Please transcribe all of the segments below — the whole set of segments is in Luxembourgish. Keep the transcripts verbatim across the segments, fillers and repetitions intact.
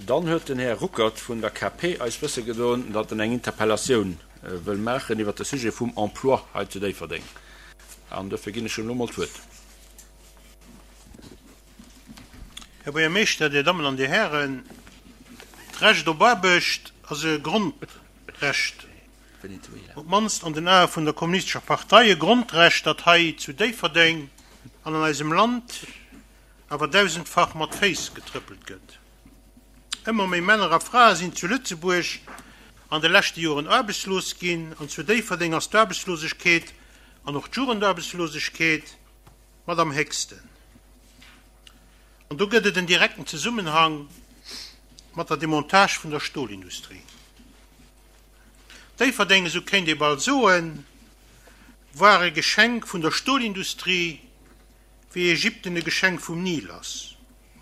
Dann huet den Här Ruckert vun der K P eis wësse gedoen, datt en eng Interpellatioun wëll maachen iwwert de Sujet vum Emploi hei zu Déifferdeng. An dofir ginn ech him elo mol d'Wuert. Här Buergermeeschter, Dir Dammen an Dir Hären, d'Recht op Aarbecht ass e Grondrecht, op d'mannst an den Ae vun der Kommunistescher Partei, e Grondrecht, dat hei zu Déifferdeng an an eisem Land awer dausendfach mat Féiss getrëppelt gëtt. Ëmmer méi Männer a Frae sinn zu Lëtzebuerg an de leschte Joren aarbechtslos ginn, an zu Déifferdeng ass d'Aarbechtslosegkeet an och d'Jugendaarbechtslosegkeet mat am héchsten. An do gëtt et en direkten Zesummenhang mat der Demontage vun der Stolindustrie. Déifferdeng, esou kéint ee bal soen, war e Geschenk vun der Stolindustrie, wéi Ägypten e Geschenk vum Nil ass.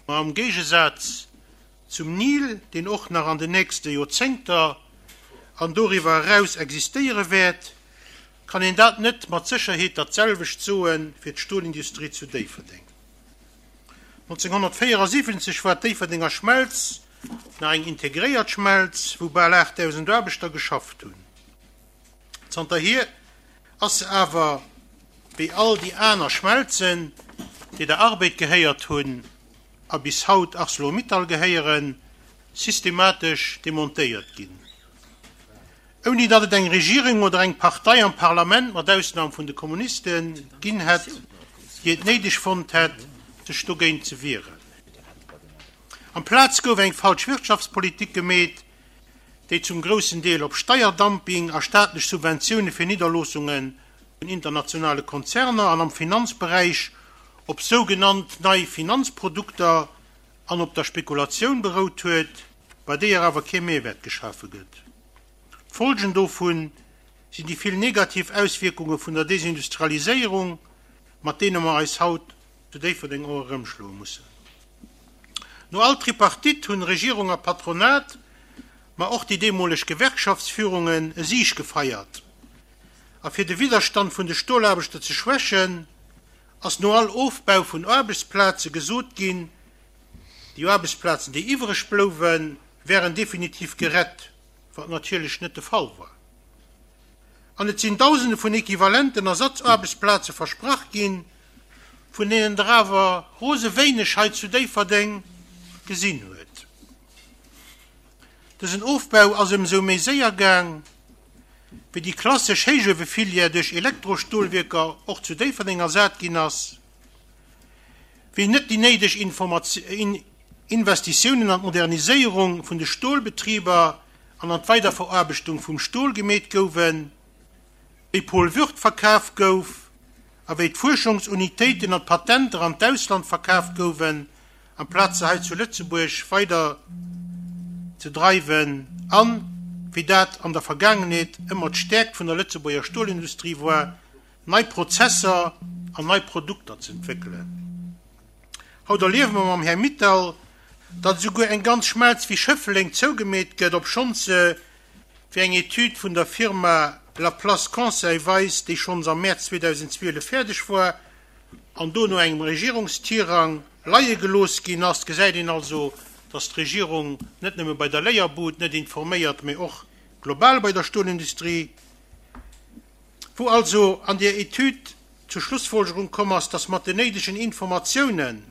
Ma am Géigesaz zum Nil, deen och nach an den nächste Joerzéngter an doriwwer eraus existéiere wäert, kann een dat net mat Sécherheet dat selwecht soe fir d'Stolindustrie zu Déifferdeng. nonzénghonnertvéierasiwwenzeg war d'Déifferdenger Schmelz nach eng integréiert Schmelz, wou bal aachtdausend Aarbechter geschafft hunn. Zanterhier ass se awer, wéi all déi aner Schmelzen, déi der Arbed gehéiert hunn a bis haut Arcelor-Mittal gehéieren, systematesch demontéiert ginn, ouni datt et eng Regierung oder eng Partei am Parlament, mat Ausnam vun de Kommunisten, ginn hätt, déi et néideg fonnt hätt, sech dogéint ze wieren. Amplaz gouf eng falsch Wirtschaftspolitik gemeet, déi zum groussen Deel op Steierdumping a staatlech Subventioune fir Nidderloossunge vun internationale Konzerner an am Finanzberäich op sougenannt nei Finanzprodukter an op der Spekulatioun berout huet, bei deeër awer kee Mehrwäert geschafe gëtt. D'Folgen dovu sinn déi vill negativ Auswierkunge vun der Desindustrialiséierung, mat deene mer eis haut zu Déifferdeng och erëmschloe mussen. No all Tripartite hunn Regierung a Patronat, ma och déi deemoleg Gewerkschaftsführungen e Sig gefeiert. A fir de Widderstand vun de Stolaarbechter ze schwächen, ass no all Ofbau vun Aarbechtsplaze gesot ginn, déi Aarbechtsplazen, déi iwwereg blouwen, wären definitiv gerett, wat natierlech net de Fall war. An et sinn Dausende vun equivalenten Ersatzaarbechtsplaze versprach ginn, vun deenen der awer rose wéineg hei zu Déifferdeng gesinn huet. Dësen Ofbau ass ëmsou méi séier gaang, wéi déi klassesch Héichuewefilière duerch Elektrostolwierker och zu Déifferdeng ersat ginn ass, wéi net déi néideg Investitiounen an d'Moderniséierung vun de Stolbetriber an an d'Weiderveraarbechtung vum Stol gemeet gouwen, wéi Paul Würth verkaf gouf a wéi d'Fuerschungsunitéiten an d'Patenter an d'Ausland verkaf gouwen, amplaz se hei zu Lëtzebuerg weider ze dreiwen an, wéi dat an der Vergaangenheet ëmmer d'Stäerkt vun der Lëtzebuerger Stolindustrie war, nei Prozesser an nei Produkter z'entwéckelen. Haut erliewe mer mam Här Mittal, datt esouguer eng ganz Schmelz wéi Schëffleng zougemeet gëtt, obschonns se, wéi eng Etüd vun der Firma Laplace Conseil weist, déi schonns am Mäerz zweedausendzwielef fäerdeg war an do no engem Regierungstirang leie gelooss ginn ass. Gesäit een also, datt d'Regierung net nëmme bei der Léierbud net informéiert, mee och global bei der Stolindustrie, wou also an där Etüd zur Schlussfolgerung komm ass, datt mat den néidegen Informatioune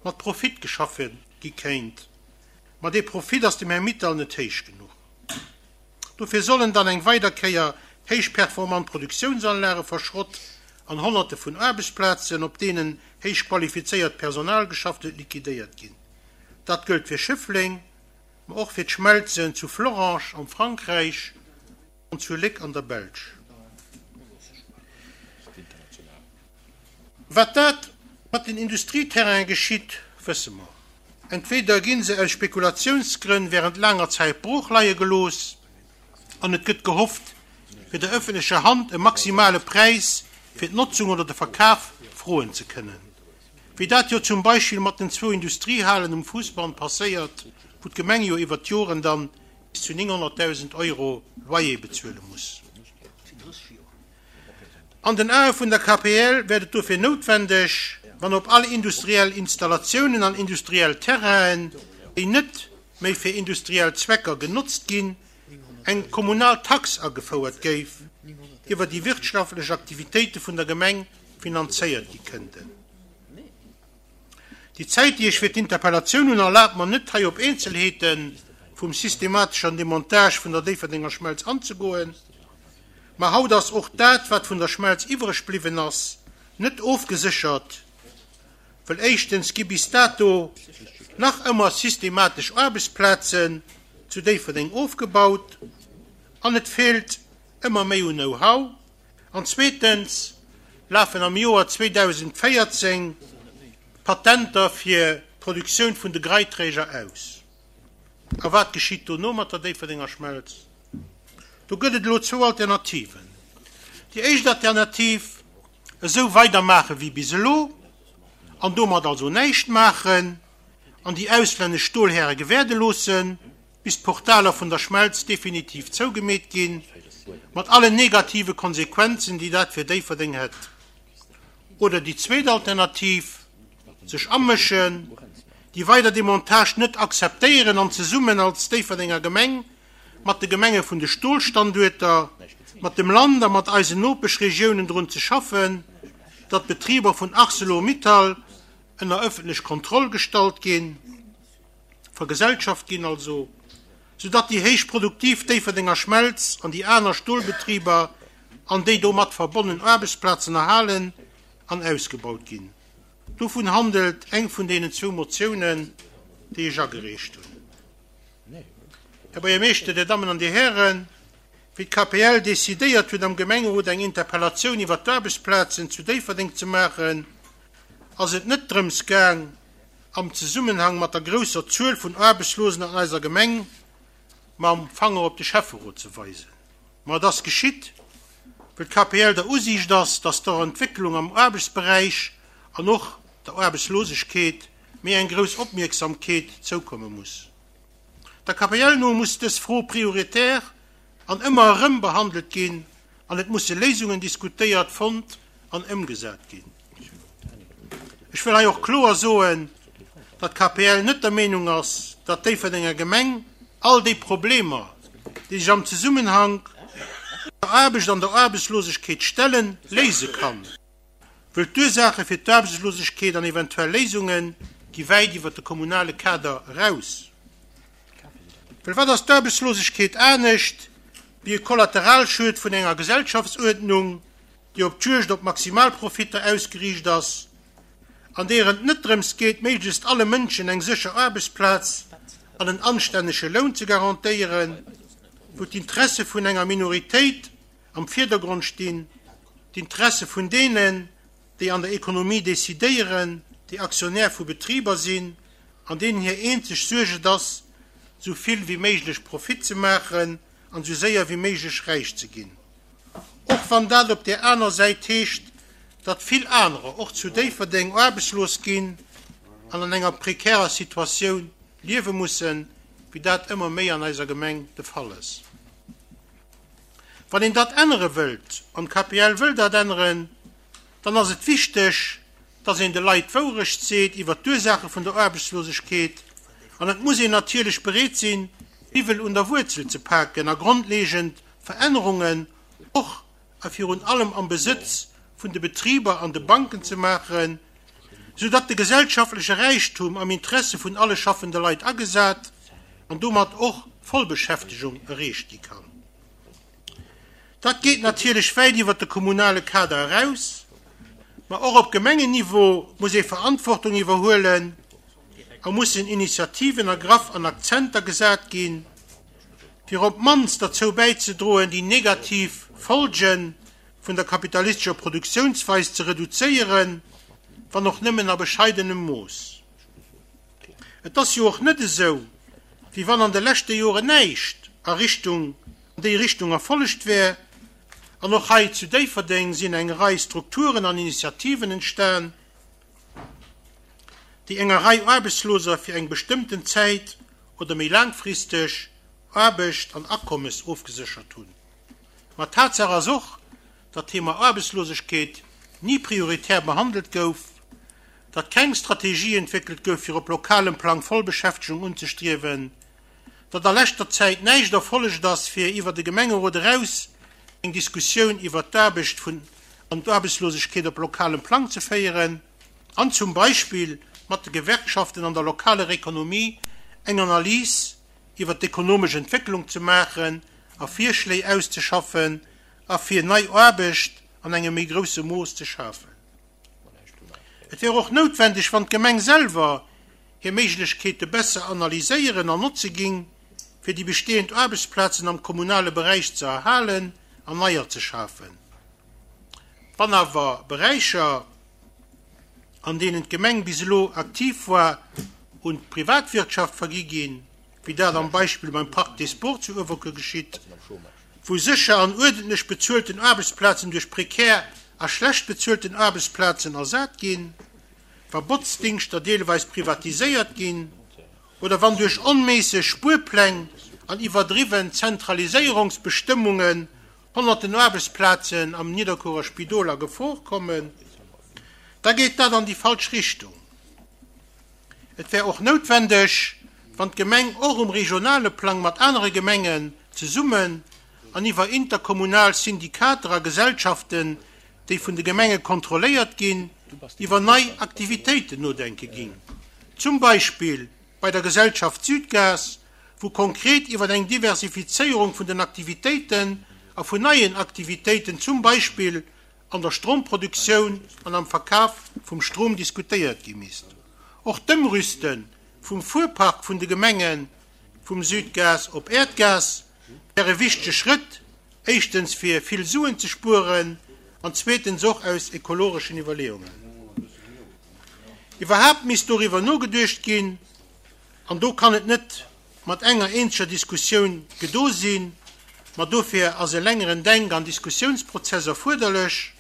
mat Profit geschaffe gi kéint. Ma dee Profit ass dem Här Mittal net héich genuch. Dofir sollen dann eng weider Kéier héich performant Produktiounsanlage verschrott an Honnerte vun Aarbechtsplazen, op deenen héich qualifizéiert Personal geschafft huet, liquidéiert ginn. Dat gëllt fir Schëffleng, ma och fir d'Schmelzen zu Florange am Frankräich an zu Léck an der Belsch. Wat dat mat den Industrieterrainen geschitt, wësse mer. Entweder gi se aus Spekulatiounsgrënn wärend laanger Zäit brooch leie gelooss an et gëtt gehofft, fir der ëffentlecher Hand e maximale Präis fir d'Notzung oder de Verkaf froen ze kënnen, wéi dat jo zum Beispill mat den zwou Industriehalen um Fousbann passéiert, wou d'Gemeng jo iwwert d'Joren dann bis zu nénghonnertdausend Euro Loyer bezuele muss. An den Ae vun der K P L wäert et dofir noutwendeg, wann op all industriell Installatiounen an industriell Terrainen, déi net méi fir industriell Zwecker genotzt ginn, eng kommunal Tax agefouert géif, iwwer déi wirtschaftlech Aktivitéite vun der Gemeng finanzéiert gi kënnten. Déi Zäit, déi ech fir d'Interpellatioun hunn, erlaabt mer net, hei op Eenzelheete vum systemateschen Demontage vun der Déifferdenger Schmelz anzegoen. Ma haut ass och dat, wat vun der Schmelz iwwereg bliwwen ass, net ofgeséchert, well éischtens gi bis dato nach ëmmer systematesch Aarbechtsplazen zu Déifferdeng ofgebaut an et feelt ëmmer méi un Know-how, an zweetens lafen am Joer zweedausendvéierzéng d'Patenter fir d'Produktioun vun de Greiträger aus. A wat geschitt dono mat der Déifferdenger Schmelz? Do gëtt et elo zwou Alternativen. Déi éischt Alternativ, esou weidermaache wéi bis elo an domat also näischt maachen an déi auslännesch Stolhäre gewäerde loossen, bis d'Portaler vun der Schmelz definitiv zougemeet ginn, mat allen negative Konsequenzen, déi dat fir Déifferdeng hätt. Oder déi zweet Alternativ, sech amëschen, déi weider Demontage net akzeptéieren an zesummen als Déifferdenger Gemeng mat de Gemenge vun de Stolstanduerter, mat dem Land a mat eisen Nopeschregiounen drun ze schaffen, datt d'Betriber vun Arcelor-Mittal ënner ëffentlech Kontroll gestallt ginn, vergesellschaft ginn also, soudatt déi héich produktiv Déifferdenger Schmelz an déi aner Stolbetriber an déi domat verbonnen Aarbechtsplazen erhalen an ausgebaut ginn. Dovun handelt eng vun deenen zwou Motiounen, déi ech agereecht hunn. Här Buergermeeschter, Dir Dammen an Dir Hären, wéi d'K P L decidéiert huet, am Gemengerot eng Interpellatioun iwwer d'Aarbechtsplazen zu Déifferdeng ze maachen, ass et net drëms gaang, am Zesummenhang mat der grousser Zuel vun Aarbechtslosen an eiser Gemeng mam Fanger op de Schäfferot ze weisen. Ma et ass geschitt, well d'K P L der Usiicht ass, datt der Entwécklung am Aarbechtsberäich an och der Aarbechtslosegkeet méi eng grouss Opmierksamkeet zoukomme muss. Der K P L no muss dës Fro prioritär an ëmmer erëm behandelt ginn an et musse Léisungen diskutéiert, fonnt an ëmgesat ginn. Ech wëll hei och kloer soen, datt d'K P L net der Meenung ass, datt d'Déifferdenger Gemeng all déi Problemer, déi sech am Zesummenhank mat der Aarbecht an der Aarbechtslosegkeet stellen, léise kann, wëll d'Ursaache fir d'Aarbechtslosegkeet an eventuell Léisunge gi wäit iwwer de kommunale Kader eraus. Well wat ass d'Aarbechtslosegkeet anescht wéi e Kollateralschued vun enger Gesellschaftsuerdnung, déi op d'Juegd op Maximalprofitter ausgeriicht ass, an deer et net drëms geet, méiglechst alle Mënschen eng sécher Aarbechtsplaz an en anstännege Loun ze garantéieren, wou d'Interesse vun enger Minoritéit am Virdergrond stinn, d'Interesse vun deenen, déi an der Ekonomie decidéieren, déi Aktionär vu Betriber sinn, an deenen hir eenzeg Suerg et ass, sou vill wéi méiglech Profit ze maachen an sou séier wéi méiglech räich ze ginn. Och wann dat op der aner Säit heescht, datt vill anerer och zu Déifferdeng aarbechtslos ginn an an enger prekärer Situatioun liewe mussen, wéi dat ëmmer méi an eiser Gemeng de Fall ass. Wann een dat ännere wëllt, an d'K P L wëll dat änneren, dann ass et wichteg, datt een de Leit d'Wourecht seet iwwer d'Ursaache vun der Aarbechtslosegkeet, an et muss een natierlech bereet sinn, d'Iwwel un der Wuerzel ze paken a grondleeënd Verännerungen och a virun allem am Besëtz vun de Betriber an de Banken ze maachen, soudatt de gesellschaftleche Räichtum am Interesse vun alle schaffende Leit agesat an domat och Vollbeschäftegung erreecht gi kann. Dat geet natierlech wäit iwwer de kommunale Kader eraus, ma och op Gemengenniveau muss ee Verantwortung iwwerhuelen a mussen Initiativen ergraff an Akzenter gesat ginn, fir op d'mannst derzou bäizedroen, déi negativ Folge vun der kapitalistescher Produktiounsweis ze reduzéieren, wann och nëmmen a bescheidenem Mooss. Et ass jo och net esou, wéi wann an de leschte Joren näischt a Richtung an déi Richtung erfollegt wär, an och hei zu Déifferdeng sinn eng Rei Strukturen an Initiativen entstan, déi enger Rei Aarbechtsloser fir eng bestëmmten Zäit oder méi laangfristeg Aarbecht an Akommes ofgeséchert hunn. Ma Tatsaach ass och, datt d'Thema Aarbechtslosegkeet ni prioritär behandelt gouf, datt keng Strategie entwéckelt gouf, fir op lokalem Plang Vollbeschäftegung unzestriewen, datt a leschter Zäit näischt erfollegt ass, fir iwwer de Gemengerot eraus eng Diskussioun iwwer d'Aarbecht vun an d'Aarbechtslosegkeet op lokalem Plang ze féieren an zum Beispill mat de Gewerkschaften an der lokaler Ekonomie eng Analys iwwer d'ekonomesch Entwécklung ze maachen a Virschléi auszeschaffen a fir nei Aarbecht an engem méi grousse Mooss ze schafen. Et wär och noutwendeg, wann d'Gemeng selwer hir Méiglechkeete besser analyséieren an notze géing, fir déi bestehend Aarbechtsplazen am kommunale Beräich ze erhalen an neier ze schafen. Wann awer Beräicher, an deenen d'Gemeng bis elo aktiv war, un d'Privatwirtschaft vergi ginn, wéi dat am Beispill beim Parc des Sports zu Uewerkuer geschitt, wou sécher an uerdentlech bezuelten Aarbechtsplazen duerch prekär a schlecht bezuelten Aarbechtsplazen ersat ginn, wa Botzdingschter deelweis privatiséiert ginn oder wann duerch onméisseg Spuerpläng an iwwerdriwwen Zentraliséierungsbestëmmungen honnerten Aarbechtsplazen am Nidderkuerer Spidol a Gefor kommen, da geet dat an déi falsch Richtung. Et wär och noutwendeg, wann d'Gemeng och um regionale Plang mat anere Gemengen zesummen an iwwer interkommunal Syndikater a Gesellschaften, déi vun de Gemenge kontrolléiert ginn, iwwer nei Aktivitéiten nodenke géing. Zum Beispill bei der Gesellschaft Südgas, wou konkret iwwer eng Diversifizéierung vun den Aktivitéiten a vun neien Aktivitéiten, zum Beispill an der Stromproduktioun an am Verkaf vum Strom diskutéiert gi misst. Och d'Ëmrüste vum Fuerpark vun de Gemenge vum Südgas op Äerdgas wär e wichtege Schrëtt, éischtens fir vill Suen ze spueren an zweetens och aus ekologeschen Iwwerleeungen. Iwwerhaapt misst doriwwer nogeduecht ginn, an do kann et net mat enger eenzeger Diskussioun gedo sinn, ma dofir ass e längeren Denk an Diskussiounsprozess erfuerderlech,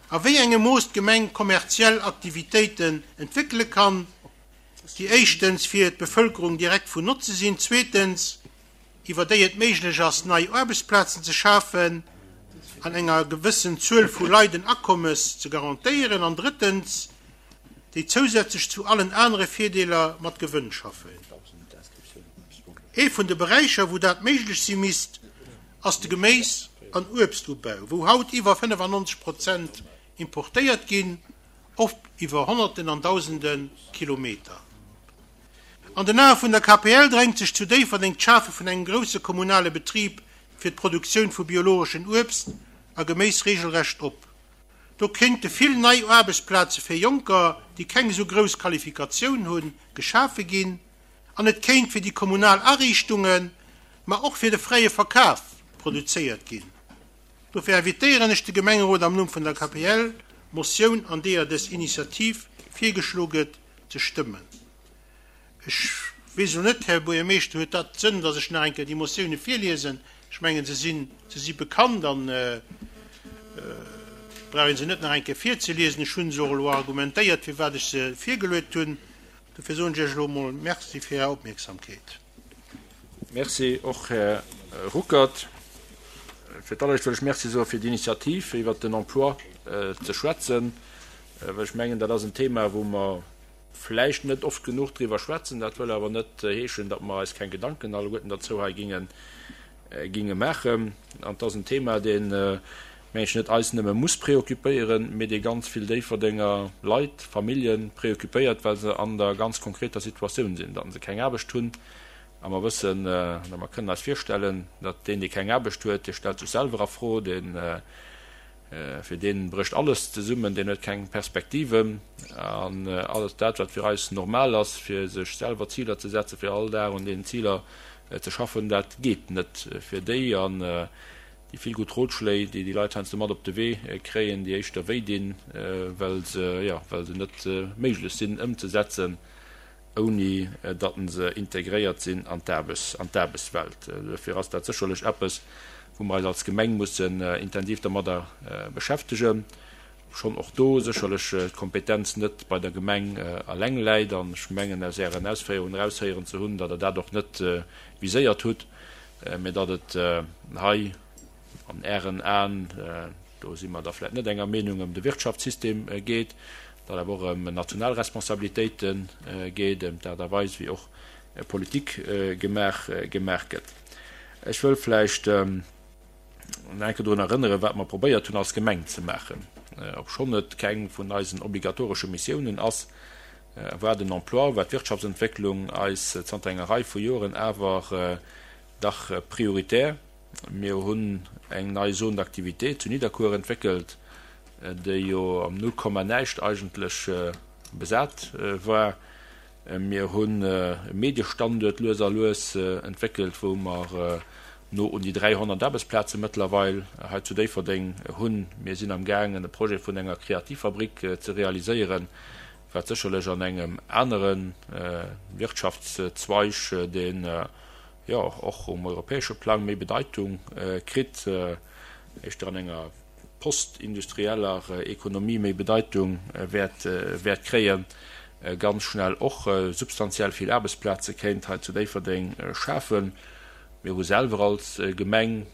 a wéi engem Mooss d'Gemeng kommerziell Aktivitéiten entwéckele kann, déi éischtens fir d'Bevëlkerung direkt vun Notze sinn, zweetens iwwer déi et méiglech ass, nei Aarbechtsplazen ze schafen an enger gewëssen Zuel vu Leit en Akommes ze garantéieren an drëttens déi zousätzlech zu allen anere Virdeeler mat Gewënn schaffen. Ee vun de Beräicher, wou dat méiglech si misst, ass de Geméis an Uebstubau, wou haut iwwer fënnefannonzeg Prozent importéiert ginn, oft iwwer Honnerten an Dausende Kilometer. An den Ae vun der K P L drängt sech zu Déifferdeng d'Schafe vun engem grousse kommunale Betrib fir d'Produktioun vu biologeschen Uebst a Geméis regelrecht op. Do kéinte vill nei Aarbechtsplaze fir Jonker, déi keng esou grouss Qualifikatioun hunn, geschafe ginn, an et kéint fir déi kommunal Ariichtungen, ma och fir de fräie Verkaf produzéiert ginn. Dofir invitéieren ech de Gemengerot am Numm vun der K P L, d'Motioun, an deeër dës Initiativ virgeschloe gëtt, ze stëmmen. Ech weess elo net, Här Buergermeeschter, huet dat Sënn, datt ech nach eng Kéier déi Motioune virliesen? Ech mengen, se sinn, se si bekannt an brauch een se net nach eng Kéier virzeliesen. Ech hunn se och elo argumentéiert, firwat ech se virgeluet hunn. Dofir soen ech Iech elo emol Merci fir Är Opmierksamkeet. Merci och, Här Ruckert. Fir d'alleréischt wëll ech Merci soe fir d'Initiativ, fir iwwert den Emploi ze schwätzen, well ech mengen, dat ass en Thema, wou mer vläicht net oft genuch driwwer schwätzen. Dat wëll awer net heeschen, datt mer eis keng Gedanken alleguerten derzou hei ginge, ginge maachen. An et ass en Thema, deen, meng ech, net eis nëmme muss preoccupéieren, mee dee ganz vill Déifferdenger Leit, Famillje preoccupéiert, well se an der ganz konkreter Situatioun sinn, datt se keng Aarbecht hunn. A mer wëssen, oder mer kënnen eis virstellen, datt deen, dee keng Aarbecht huet, dee stellt sech selwer a Fro, deen, fir deen brécht alles zesummen, deen huet keng Perspektiven. An alles dat, wat fir eis normal ass, fir sech selwer Ziler ze setzen, fir all Dag un deenen Ziler ze schaffen, dat geet net fir déi. An déi vill gutt Rotschléi, déi déi Leit heiansdo mat op de Wee kréien, déi éischter wéi dinn, well se, jo, well se net méiglech sinn ëmzesetzen, ouni datt se integréiert sinn an d'Aarbechts-, an d'Aarbechtswelt. Dofir ass dat sécherlech eppes, wou mer eis als Gemeng mussen intensiv dermadder beschäftegen. Schonn och do sécherlech d'Kompetenz net bei der Gemeng eleng läit. An ech mengen, aus Ären Ausféierungen eraushéieren ze hunn, datt Der dat och net viséiert hutt, mä datt et hei an Ären Aen, do si mer da vläicht net enger Meenung, ëm de Wirtschaftssystem geet, datt awer och ëm national Responsabilitéite geet, ëm d'Aart a Weis, wéi och Politik gemaach gemaach gëtt. Ech wëll vläicht nach eng Kéier drun erënneren, wat mer probéiert hunn als Gemeng ze maachen, obschonn et keng vun eisen obligatoresche Missiounen ass, war den Emploi, war d'Wirtschaftsentwécklung eis zanter enger Rei vu Joren awer dach prioritär. Mir hunn eng nei Zone d'activité zu Nidderkuer entwéckelt, déi jo am Nullkomma-näischt eigentlech besat war. Mir hunn e Mediestanduert lues a lues entwéckelt, wou mer no un déi dräihonnert Aarbechtsplaze mëttlerweil hei zu Déifferdeng hunn. Mir sinn amgaangen, e Projet vun enger Kreativfabrik ze realiséieren, wat sécherlech an engem anere Wirtschaftszweig, deen jo och um europäesche Plang méi Bedeitung kritt, éischter an enger postindustrieller Ekonomie méi Bedeitung wäert wäert kréien, ganz schnell och substantiell vill Aarbechtsplaze kéint hei zu Déifferdeng schafen. Mir hu selwer als Gemeng,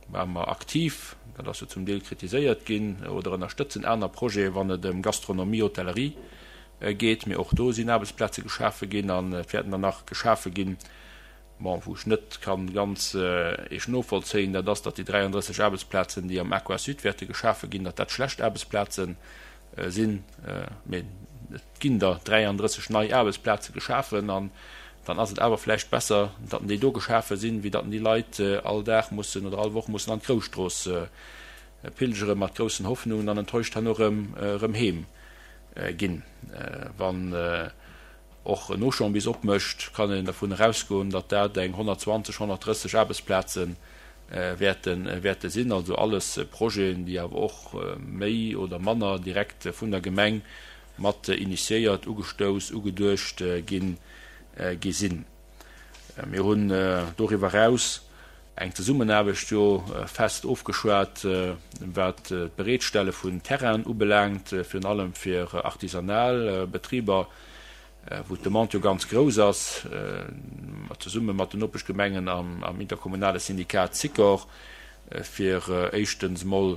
ware mer aktiv, dat ass jo zum Deel kritiséiert ginn, oder ënnerstëtzen aner Projete wann et ëm Gastronomie, Hotellerie geet. Mee och do sinn Aarbechtsplaze geschafe ginn an et wäerten der nach geschafe ginn. Bon, wou ech net kann ganz eescht novollzéien, dat ass, datt déi dräiandrësseg Aarbechtsplazen, déi am Aquasud wäerte geschafe ginn, datt dat schlecht Aarbechtsplaze sinn. Mee et ginn der dräiandrësseg nei Aarbechtsplaze geschafen an dann ass et awer vläicht besser, datt déi do geschafe sinn, wéi datt déi Leit all Dag mussen oder all Woch mussen an d'Grousstrooss pilgere mat groussen Hoffnungen an enttäuscht herno erëm erëm heem ginn. Wann och en Auchan bis opmécht, kann een dervun erausgoen, datt dat eng honnertzwanzeg, honnertdrësseg Aarbechtsplaze wäerte wäerte sinn. Also alles Projeten, déi awer och méi oder manner direkt vun der Gemeng mat initiéiert, ugestouss, ugeduecht ginn gi sinn. Mir hunn doriwwer eraus eng Zesummenaarbecht jo fest ofgeschwat, wat d'Bereetstelle vun Terrainen ubelaangt, virun allem fir artisanal Betriber, wou d'Demande jo ganz grouss ass, zesumme mat den Nopeschgemengen am interkommunale Syndikat Sikor, fir éischtens emol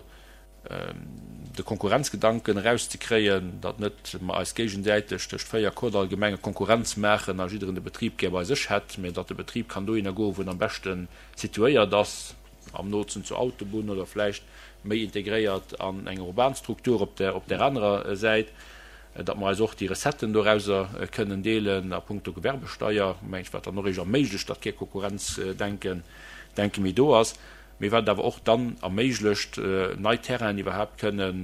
de Konkurrenzgedanken erauszekréien, datt net mer eis géigesäiteg tëscht véier Kordall-Gemenge Konkurrenz maachen a jidderen de Betrib gär bei sech hätt, mä datt de Betrib kann dohinner goen, wou en am beschte situéiert ass, am nootsten zur Autobunn oder vläicht méi integréiert an eng urban Struktur op der op där anerer Säit, datt mer eis och déi Recetten dorauser kënnen deelen a puncto Gewerbesteier, mengen ech, wat dann och eréischt erméiglecht, datt kee Konkurrenzdenken denke méi do ass. Mee wat et awer och dann erméiglecht, nei Terrainen iwwerhaapt kënnen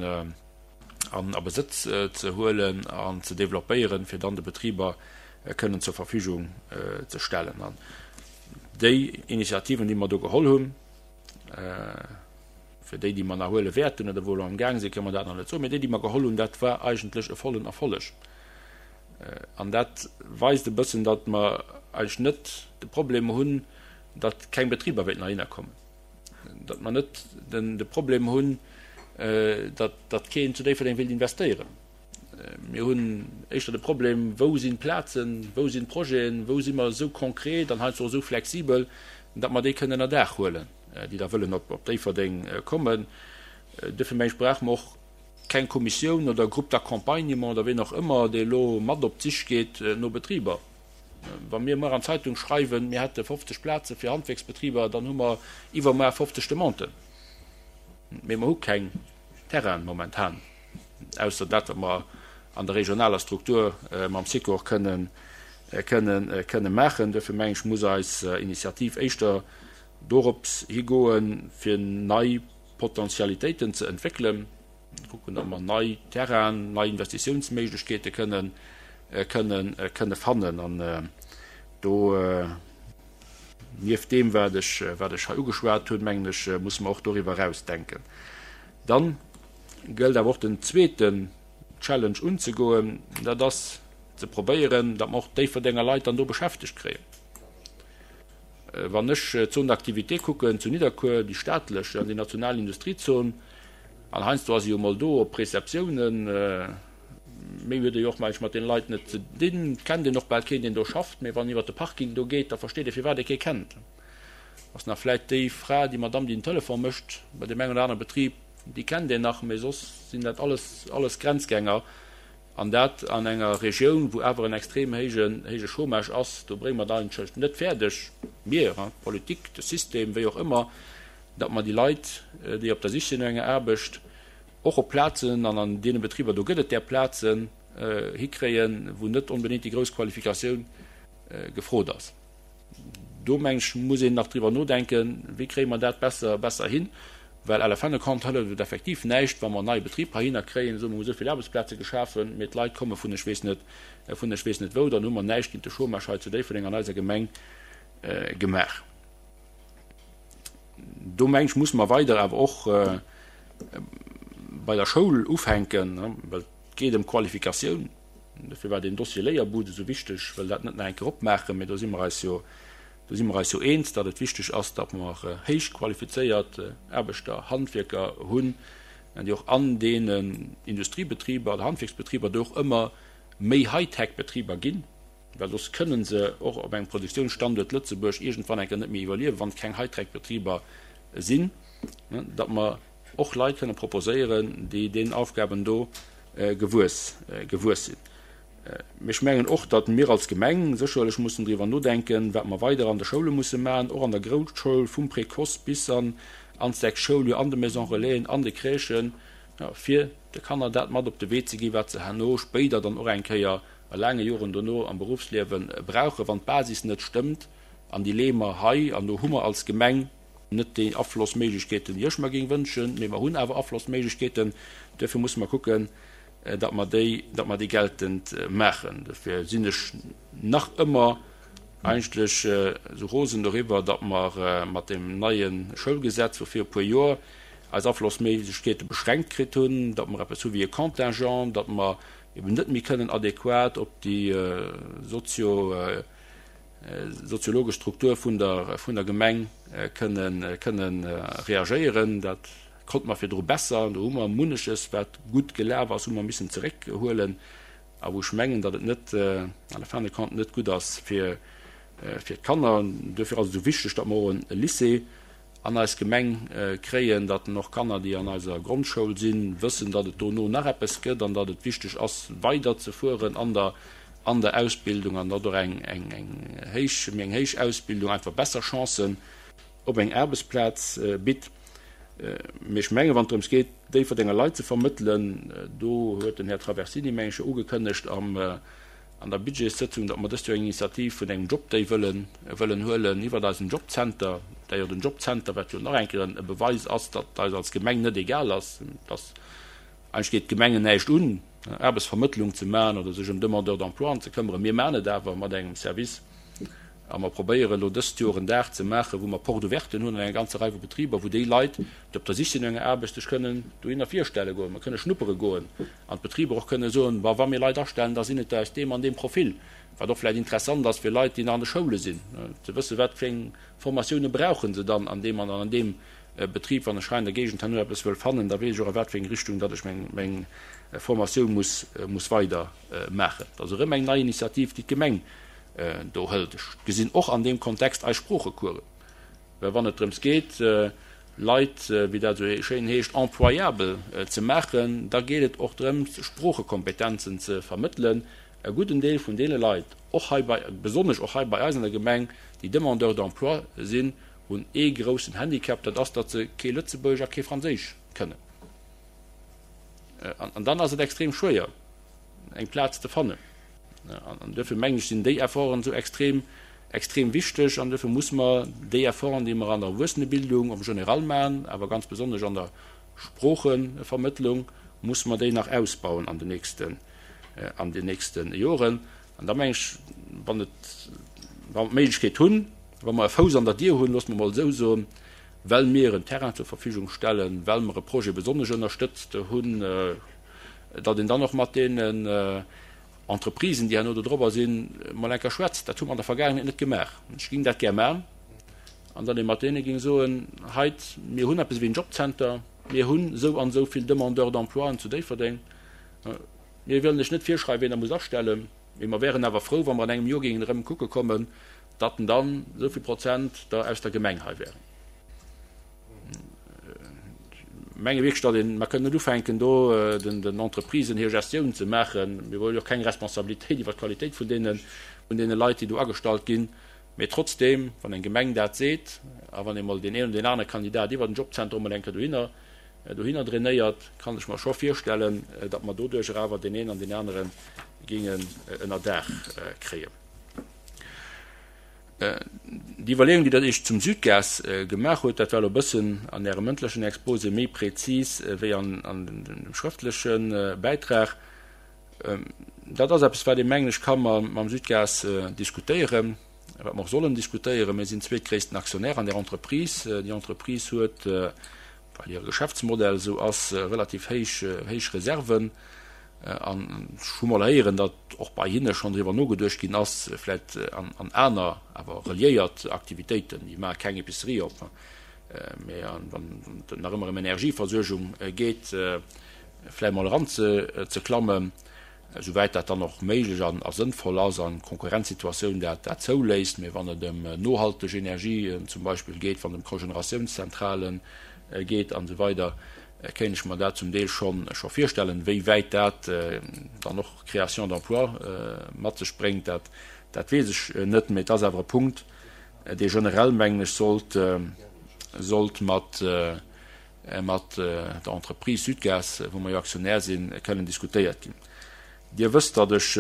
an a Besëtz ze huelen an ze developpéieren, fir dann de Betriber kënnen zur Verfügung ze stellen. An déi Initiativen, déi mer do geholl hunn, fir déi, déi mer nach huele wäerten oder wou elo amgaang sinn, kënnen mer dat nach net soen, mee déi, déi mer geholl hunn, dat war eigentlech e vollen Erfolleg. An dat weist e bëssen, datt mer eigentlech net de Problem hunn, datt keng Betriber wéilten heihinner kommen, datt mer net den de Problem hunn, datt datt keen zu Déifferdeng wéilt investéieren. Mir hunn éischter de Problem, wou sinn d'Plazen, wou sinn d'Projeten, wou si mer esou konkret an heiansdo och esou flexibel, datt mer déi kënnen ënner Daach huelen, déi da wëllen op op Déifferdeng kommen. Duerfir meng ech, brauche mer och keng Kommissioun oder Groupe d'accompagnement oder ween och ëmmer, dee elo mat op d'Sich geet no Betriber. Wa mir muer an d'Zeitung schreiwen, mir hätte fofzeg Plaze fir Handwierksbetriber, dann hu mer iwwermuer fofzeg Demanden. Mee mer hu keng Terrainen momentan, ausser dat, wat mer an der regionaler Struktur mam Sikor kënnen, kënnen, kënne maachen. Duerfir mengen ech, muss eis Initiativ éischter dorops higoen, fir nei Potentialitéiten ze entwéckelen, kucken, ob mer nei Terrainen, nei Investitiounsméiglechkeete kënnen, kënnen, kënne fannen. An do, nieft deem, wat ech, wat ech hei ugeschwat hunn, mengen ech, musse mer och doriwwer eraus denken. Dann gëllt awer och den zweeten Challenge unzegoen, dat ass ze probéieren, datt mer och d'Déifferdenger Leit dann do beschäftegt kréien. Wann ech d'Zone d'activité kucken zu Nidderkuer, déi staatlech an déi national Industriezon, an heiansdo ass se jo emol do op Receptiounen, méi huet ee jo och mengen ech mat deene Leit net ze dinn, et kennt een och bal keen, deen do schafft, mee wann een iwwer de Parking do geet, da versteet ee firwat ee kee kennt. Ass nach vläit déi Fra, déi Madamm, déi den Telefon mécht bei deem engen oder anere Betrib, déi kennt een nach, mee soss sinn dat alles, alles Grenzgänger. An dat an enger Regioun, wou awer en extrem héije, héije Chômage ass. Do brénge mer et eigentlech net fäerdeg, mir, d'Politik, de System, wéi och ëmmer, datt mer déi Leit, déi op der Sich sinn no enger Aarbecht, och op Plazen, an an deene Betriber do gëtt et där Plazen, hikréien, wou net onbedéngt déi grouss Qualifikatioun gefrot ass. Do, meng ech, muss een nach driwwer nodenken, wéi kréie mer dat besser, besser hin, well à la fin de compte hëlleft et effektiv näischt, wa mer en neie Betrib heihinner kréien, soe mer, mer hu esou vill Aarbechtsplaze geschafen, mee d'Leit komme vun ech weess net, vun ech weess net wou, dann hu mer näischt géint de Chômage hei zu Déifferdeng an eiser Gemeng gemaach. Do, meng ech, musse mer weider awer och bei der Schoul ufänken, well et geet ëm Qualifikatioun. Dofir war deen Dossier Léierbud esou wichteg, wëll dat net nach eng Kéier opmaachen, mee do si mer eis jo, do si mer eis jo eens, datt et wichteg ass, datt mer héich qualifizéiert Aarbechter, Handwierker hunn, déi och an deenen Industriebetriber oder Handwierksbetriber do och ëmmer méi Hightech-Betriber ginn, well soss kënne se och op engem Produktionsstanduert Lëtzebuerg iergendwann eng Kéier net méi iwwerliewen, wann et keng Hightech-Betriber sinn, datt mer och Leit kënne proposéieren, déi deenen Aufgaben do gewuess gewuess sinn. Mee ech mengen och, datt mir als Gemeng sécherlech mussen driwwer nodenken, wat mer weider an de Schoule musse maachen, och an der Grousschoul, vum Précoce bis an an d'sechst Schouljoer, an de Maisons Relaisen, an de Crèchen, fir de Kanner dat mat op de Wee ze ginn, wat se herno spéider dann och eng Kéier a laange Joren dono am Beruffsliewe brauchen. Wann d'Basis net stëmmt, an déi leeë mer hei, an do hu mer als Gemeng net déi Aflossméiglechkeeten, déi ech mer géing wënschen, mee mer hunn awer Aflossméiglechkeeten, duerfir musse mer kucken, datt mer déi, datt mer déi geltend maachen. Dofir sinn ech nach ëmmer eigentlech esou rosen doriwwer, datt mer mat deem neie Schoulgesetz vu vir e puer Joer eis Aflossméiglechkeete beschränkt kritt hunn, datt mer eppes hu wéi e Contingent, datt mer eben net méi kënnen adequat op déi sozio soziologesch Struktur vun der vun der Gemeng kënnen kënnen reagéieren. Dat konnte mer virdru besser. Do hu mer munneches, wat gutt gelaf ass, hu mer missen zeréckhuelen a wou ech mengen, datt et net à la fin de compte net gutt ass fir fir d'Kanner. Duerfir ass et esou wichteg, datt mer och e Lycée an eis Gemeng kréien, datt och Kanner, déi an eiser Grondschoul sinn, wëssen, datt et dono nach eppes gëtt an datt et wichteg ass, weiderzefueren an der an der Ausbildung an datt och eng eng eng héich, méi eng héich Ausbildung einfach besser Chancen op eng Aarbechtsplaz bitt. Mee ech mengen, wann et drëms geet, Déifferdenger Leit ze vermëttelen, do huet den Här Traversini, meng ech, jo ugekënnegt am an der Budgetssëtzung, datt mer dëst Joer eng Initiativ vun engem Jobday wëllen wëllen huelen iwwert eisen Jobcenter, d'ailleurs den Jobcenter, wat jo nach eng Kéier e Beweis ass, datt eis als Gemeng net egal ass, datt eigentlech geet d'Gemengen näischt un, Aarbechtsvermëttlung ze maachen oder sech ëm Demandeurs d'emploien ze këmmeren. Mir maachen et awer mat engem Service a mer probéieren elo dëst Joer en Dag ze maachen, wou mer Porte ouverten hunn an enger ganzer Rei vu Betriber, wou déi Leit, déi op der Sich sinn no enger Aarbecht, sech kënnen dohinner virstelle goen, mer kënne schnuppere goen an d'Betriber och kënne soen, Wa wa mir Leit astellen, da sinn et der aus deem an deem Profil, wat och vläicht interessant ass fir Leit, déi nach an de Schoule sinn, ze wëssen, wat fir eng Formatioune brauche se dann an deem an an deem Betrib. Wann ech hei an der Géigend herno eppes wëll fannen, da weess ech och, a wat fir eng Richtung datt ech meng meng Formatioun muss muss weider maachen. Dat ass erëm eng nei Initiativ, déi d'Gemeng do hëlt. Ech gesinn och an deem Kontext eis Sproochecoursen, well wann et drëms geet, Leit, wéi dat esou schéin heescht, employabel ze maachen, da geet et och drëms, Sproochekompetenzen ze vermëttelen. E gudden Deel vun deene Leit, och hei bei, besonnesch och hei bei eis an der Gemeng, déi Demandeurs d'emploi sinn, hunn ee groussen Handicap, dat ass, datt se kee Lëtzebuergesch a kee Franséisch kënnen. An dann ass et extrem schwéier, eng Plaz ze fannen. An duerfir mengen ech, sinn déi Efforten esou extrem, extrem wichteg. An duerfir muss mer déi Efforten, déi mer an der Erwuessenebildung am General maachen, awer ganz besonnesch an der Sproochevermëttlung, muss mer déi nach ausbauen an den nächsten, an den nächste Joren. An da mengen ech, wann et, wa mer d'Méiglechkeet hunn, wa mer e Fouss an der Dier hunn, loosse mer emol esou soen, well mir en Terrain zur Verfügung stellen, well mer e Projet besonnesch ënnerstëtzt hunn, datt een dann och mat deenen Entreprisen, déi herno do drobber sinn, mol eng Kéier schwätzt. Dat hu mer an der Vergaangenheet net gemaach. Ech géing dat gär maachen. An datt ee mat deene géing soen, Heit, mir hunn eppes ewéi en Jobcenter, mir hunn esou an esou vill Demandeurs d'emploien zu Déifferdeng. Mir wëllen lech net virschreiwen, wien Der musst astellen, mee mer wären awer frou, wa mer an engem Joer géingen erëm kucke kommen, datt dann esou vill Prozent der aus der Gemeng hei wären. menge wierklech, datt een, mer kënnen net ufänken do den den Entreprisen hir Gestioun ze maachen. Mir wëlle jo och keng Responsabilitéit iwwert d'Qualitéit vun deene vun deene Leit, déi do agestallt ginn. Mee trotzdeem, wann eng Gemeng dat seet a wann ee mol deen een oder deen anere Kandidat iwwert den Jobcenter emol eng Kéier dohinner dohinner drainéiert, kann ech mer scho virstellen, datt mer doduercher awer deen een an deen anere géingen ënner Daach kréien. Déi Iwwerleeung, déi Der Iech zum Südgas gemaach hutt, dat war elo e bëssen an Ärem mëndlechen Exposé méi prezis wéi an dem schrëftleche Bäitrag, dat ass eppes, wat ee, mengen ech, ka mam Südgas diskutéieren, wat mer och sollen diskutéieren. Mir sinn zweetgréissten Aktionär an där Entreprise. Déi Entreprise huet, well hire Geschäftsmodell esou ass, relativ héich, héich Reserven. An ech hu mol héieren, datt och bei hinne schonn driwwer nogeduecht ginn ass, vläicht an aner, awer reliéiert Aktivitéiten, déi maache keng Epicerie op, mä wann et nach ëmmer ëm Energieversuergung geet, vläicht mol eranzeklammen, esouwäit dat dann och méiglech an a sënnvoll ass an d'Konkurrenzsituatioun dat dat zouléisst. Mä wann et ëm nohalteg Energie zum Beispill geet, wann et ëm Cogeneratiounszentrale geet an esou weider, kéint ech mer dat zum Deel scho scho virstellen. Wéi wäit dat dann och Création d'emplois mat sech bréngt, dat dat weess ech net. Mee et ass awer e Punkt, dee generell, mengen ech, sollt sollt mat mat der Entreprise Sudgaz, wou mer jo Aktionär sinn, kënnen diskutéiert ginn. Dir wësst, datt ech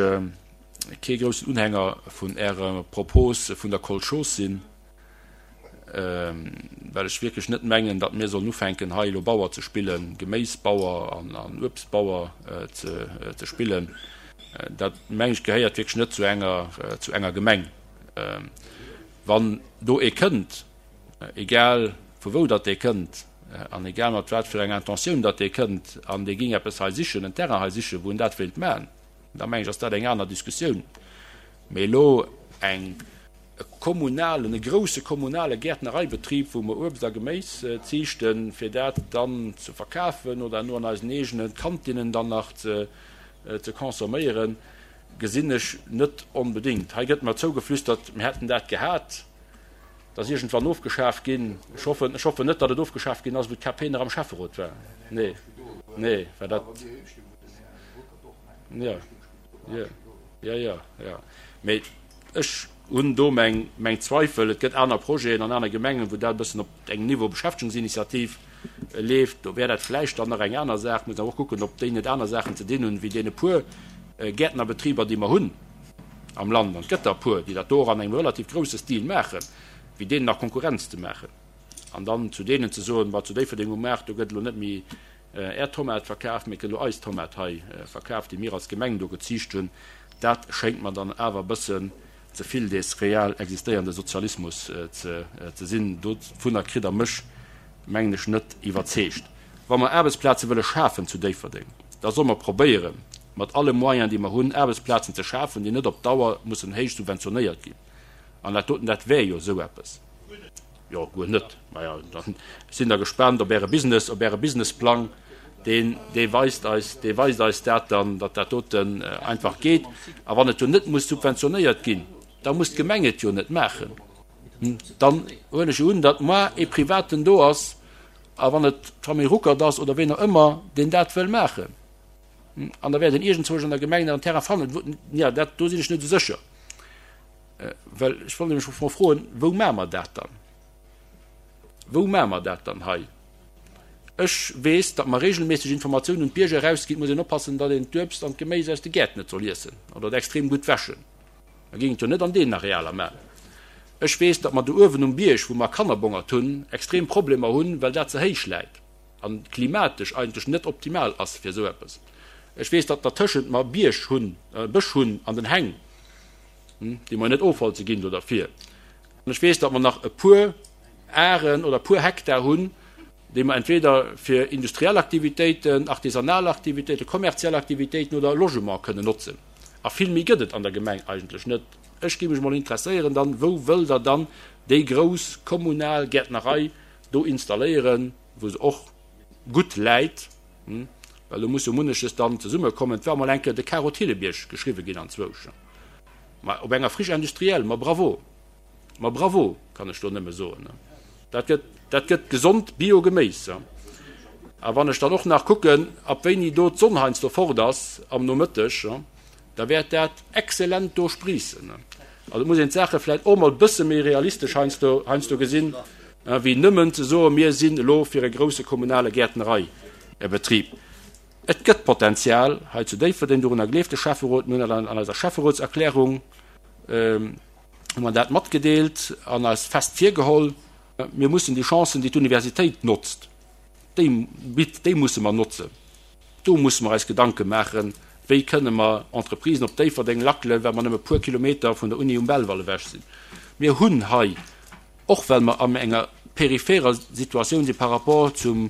kee groussen Unhänger vun Ärer Propos vun der Kolchos sinn. well ech wierklech net mengen, datt mir sollen ufänken, hei elo Bauer ze spillen, Geméisbauer an Uebstbauer ze spillen. Dat, meng ech, gehéiert wierklech net zu enger, zu enger Gemeng. Wann do ee kënnt, egal vu wou datt dee kënnt an egal mat wat fir enger Intentioun datt dee kënnt, an dee géing eppes hei sichen, en Terrain hei sichen, wou en dat wéilt maachen, da meng ech, ass dat eng aner Diskussioun. Mee elo eng. e kommunalen, e grousse kommunale Gäertnereibetrib, wou mer Uebst a Geméis ziichten, fir dat dann ze verkafen oder herno an eisen eegene Kantinnen dann nach ze consomméieren, gesinn ech net onbedéngt. Hei gëtt mer zougeflüstert, mir hätten dat gehat, dat ass iergendwann ofgeschaf ginn. Ech hoffen, ech hoffen net, datt et ofgeschaf ginn ass, wou d'K P nach am Schäfferot war. Nee, nee, well dat, jo, jo, jo, jo, jo, mee Ech hunn do meng meng Zweifel. Et gëtt aner Projeten an aner Gemengen, wou dat e bëssen op engem Niveau Beschäftegungsinitiativ leeft. Do wär dat vläicht dann nach eng aner Saach. Muss awer och kucken, ob déi net aner Saachen ze dinn hunn, wéi deene puer Gäertnerbetriber, déi mer hunn am Land. An et gëtt der e puer, déi dat do och an engem relativ grousse Stil maachen, wéi deenen nach Konkurrenz ze maachen. An dann zu deenen ze soen, Ma zu Déifferdeng um Maart, do gëtt elo net méi Är Tomat verkaf, mee et gëtt elo eis Tomat hei verkaf, déi mir als Gemeng do geziicht hunn. Dat schéngt mer dann awer e bëssen ze vill dees real existéierende Sozialismus ze sinn. Dovunner kritt Der mech, mengen ech, net iwwerzeegt. Wa mer Aarbechtsplaze wëlle schafen zu Déifferdeng, da solle mer probéieren, mat alle Moyens, déi mer hunn, Aarbechtsplazen ze schafen, déi net op Dauer mussen héich subventionéiert ginn. An dat doten, dat wär jo esou eppes. Jo, guer net. Maja, dann sinn der gespaant op Äre Business, op Äre Businessplang. Deen, dee weist eis, dee weist eis dat dann, datt dat doten einfach geet. A wann et jo net muss subventionéiert ginn, da muss d'Gemeng et jo net maachen. Dann huelen ech jo un, datt moar ee Privaten do ass, a wann et d'Famill Ruckert ass oder ween och ëmmer, deen dat wëll maachen. An da wäert een iergendzwousch an der Gemeng nach en Terrain fannen. Jo, dat, do sinn ech net esou sécher. Well ech wollt nämlech mol froen, Wou maache mer dat dann? Wou maache mer dat dann hei? Ech weess, datt mer regelméisseg Informatiounen un d'Bierger erausginn, et muss een oppassen, datt een d'Uebst an d'Geméis aus de Gäert net soll iessen oder et extrem gutt wäschen. Mer géingen et jo net an deenen Arealer maachen. Ech weess, datt mer do uewen um Bierg, wou mer Kannerbongert hunn, extrem Problemer hunn, well dat ze héich läit a klimatesch eigentlech net optimal ass fir esou eppes. Ech weess, datt dertëschent mer Bierg hunn, Bësch hunn an den Häng, déi mer net ofholze ginn do derfir. An ech weess, datt mer nach e puer Aren oder e puer Hektar hunn, déi mer entweder fir industriell Aktivitéiten, artisanal Aktivitéiten, kommerziell Aktivitéiten oder Logement kënnen notzen. A vill méi gëtt et an der Gemeng eigentlech net. Ech géif mech mol interesséieren dann, wou wëllt Der dann déi grouss kommunal Gäertnerei do installéieren, wou se och gutt läit, well do muss jo munneches dann zesummekommen. Et war mol eng Kéier de Caro Thillebiërg geschriwwe ginn anzwousch. Ma op enger Friche industrielle, ma bravo, ma bravo, kann ech do nëmme soen. Dat gëtt, dat gëtt gesond Bio-Geméis. A wann ech dann och nach kucken, ab wéini do d'Sonn heiansdo fort ass am Nomëtteg, da wäert dat exzellent do spriissen. Also et muss een d'Saache vläicht och mol e bësse méi realistesch heiansdo, heiansdo gesinn, wéi nëmmen ze soen, mir sinn elo fir e grouse kommunale Gäertnereibetrib. Et gëtt Potenzial hei zu Déifferdeng, dorunner gleeft de Schäfferot. Mir hunn dat an eiser Schäfferotserklärung hu mer dat matgedeelt an eis fest virgeholl. Mir mussen déi Chancen, déi d'Universitéit notzt, déi bitt, déi musse mer notzen. Do musse mer eis Gedanke maachen, wéi kënne mer Entreprisen op Déifferdeng lackelen, well mer nëmme e puer Kilometer vun der Uni um Belval ewech sinn. Mir hunn hei, och well mer an enger peripherer Situatioun si par rapport zum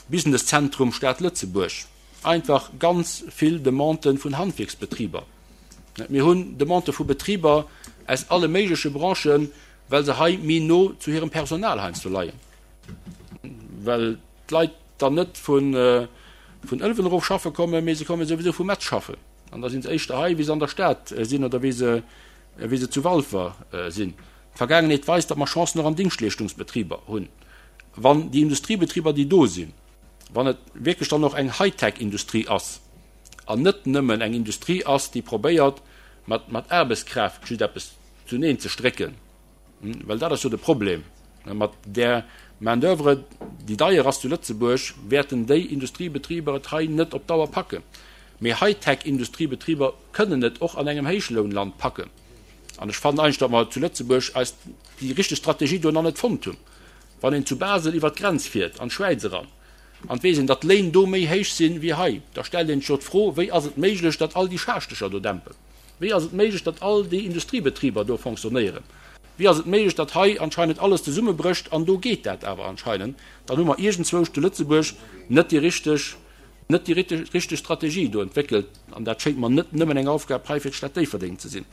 Businesszentrum Stad Lëtzebuerg, einfach ganz vill Demandë vun Handwierksbetriber. Mir hunn Demandë vu Betriber aus alle méigleche Branchen, well se hei méi no zu hirem Personal heiansdo leien, well d'Leit dann net vun Ëlwen erof schaffe kommen, mee se komme souwisou vu Metz schaffen an da si se éischter hei, wéi se an der Stad sinn oder wéi se wéi se zu Walfer sinn. D'Vergaangenheet weist, datt mer Chancen och an Dingschtleeschtungsbetriber hunn, wann déi Industriebetriber, déi do sinn, wann et wierklech dann och eng Hightech-Industrie ass an net nëmmen eng Industrie ass, déi probéiert, mat mat Aarbechtskraaft just eppes zuneen ze strécken, well dat ass jo de Problem, mat där Main-d'oeuvre, déi deier ass zu Lëtzebuerg, wäerten déi Industriebetriber et hei net op Dauer packen. Mee Hightech-Industriebetriber kënnen et och an engem Héichlounland packen. An ech fannen eigentlech, datt mer zu Lëtzebuerg eis déi richteg Strategie do nach net fonnt hunn. Wann een zu Basel iwwert d'Grenz fiert, an d'Schwäiz eran, an et weess een, datt d'Léin do méi héich sinn wéi hei, da stellt een sech jo d'Fro, Wéi ass et méiglech, datt all déi Schaaschtecher do dämpen? Wéi ass et méiglech, datt all déi Industriebetriber do fonctionnéieren? Wéi ass et méiglech, datt hei anscheinend alles zesummebrécht an do geet dat awer anscheinend? Dann hu mer iergendzwousch zu Lëtzebuerg net déi richteg, net déi richteg Strategie do entwéckelt. An dat schéngt mer net nëmmen eng Aufgab hei fir d'Stad Déifferdeng ze sinn.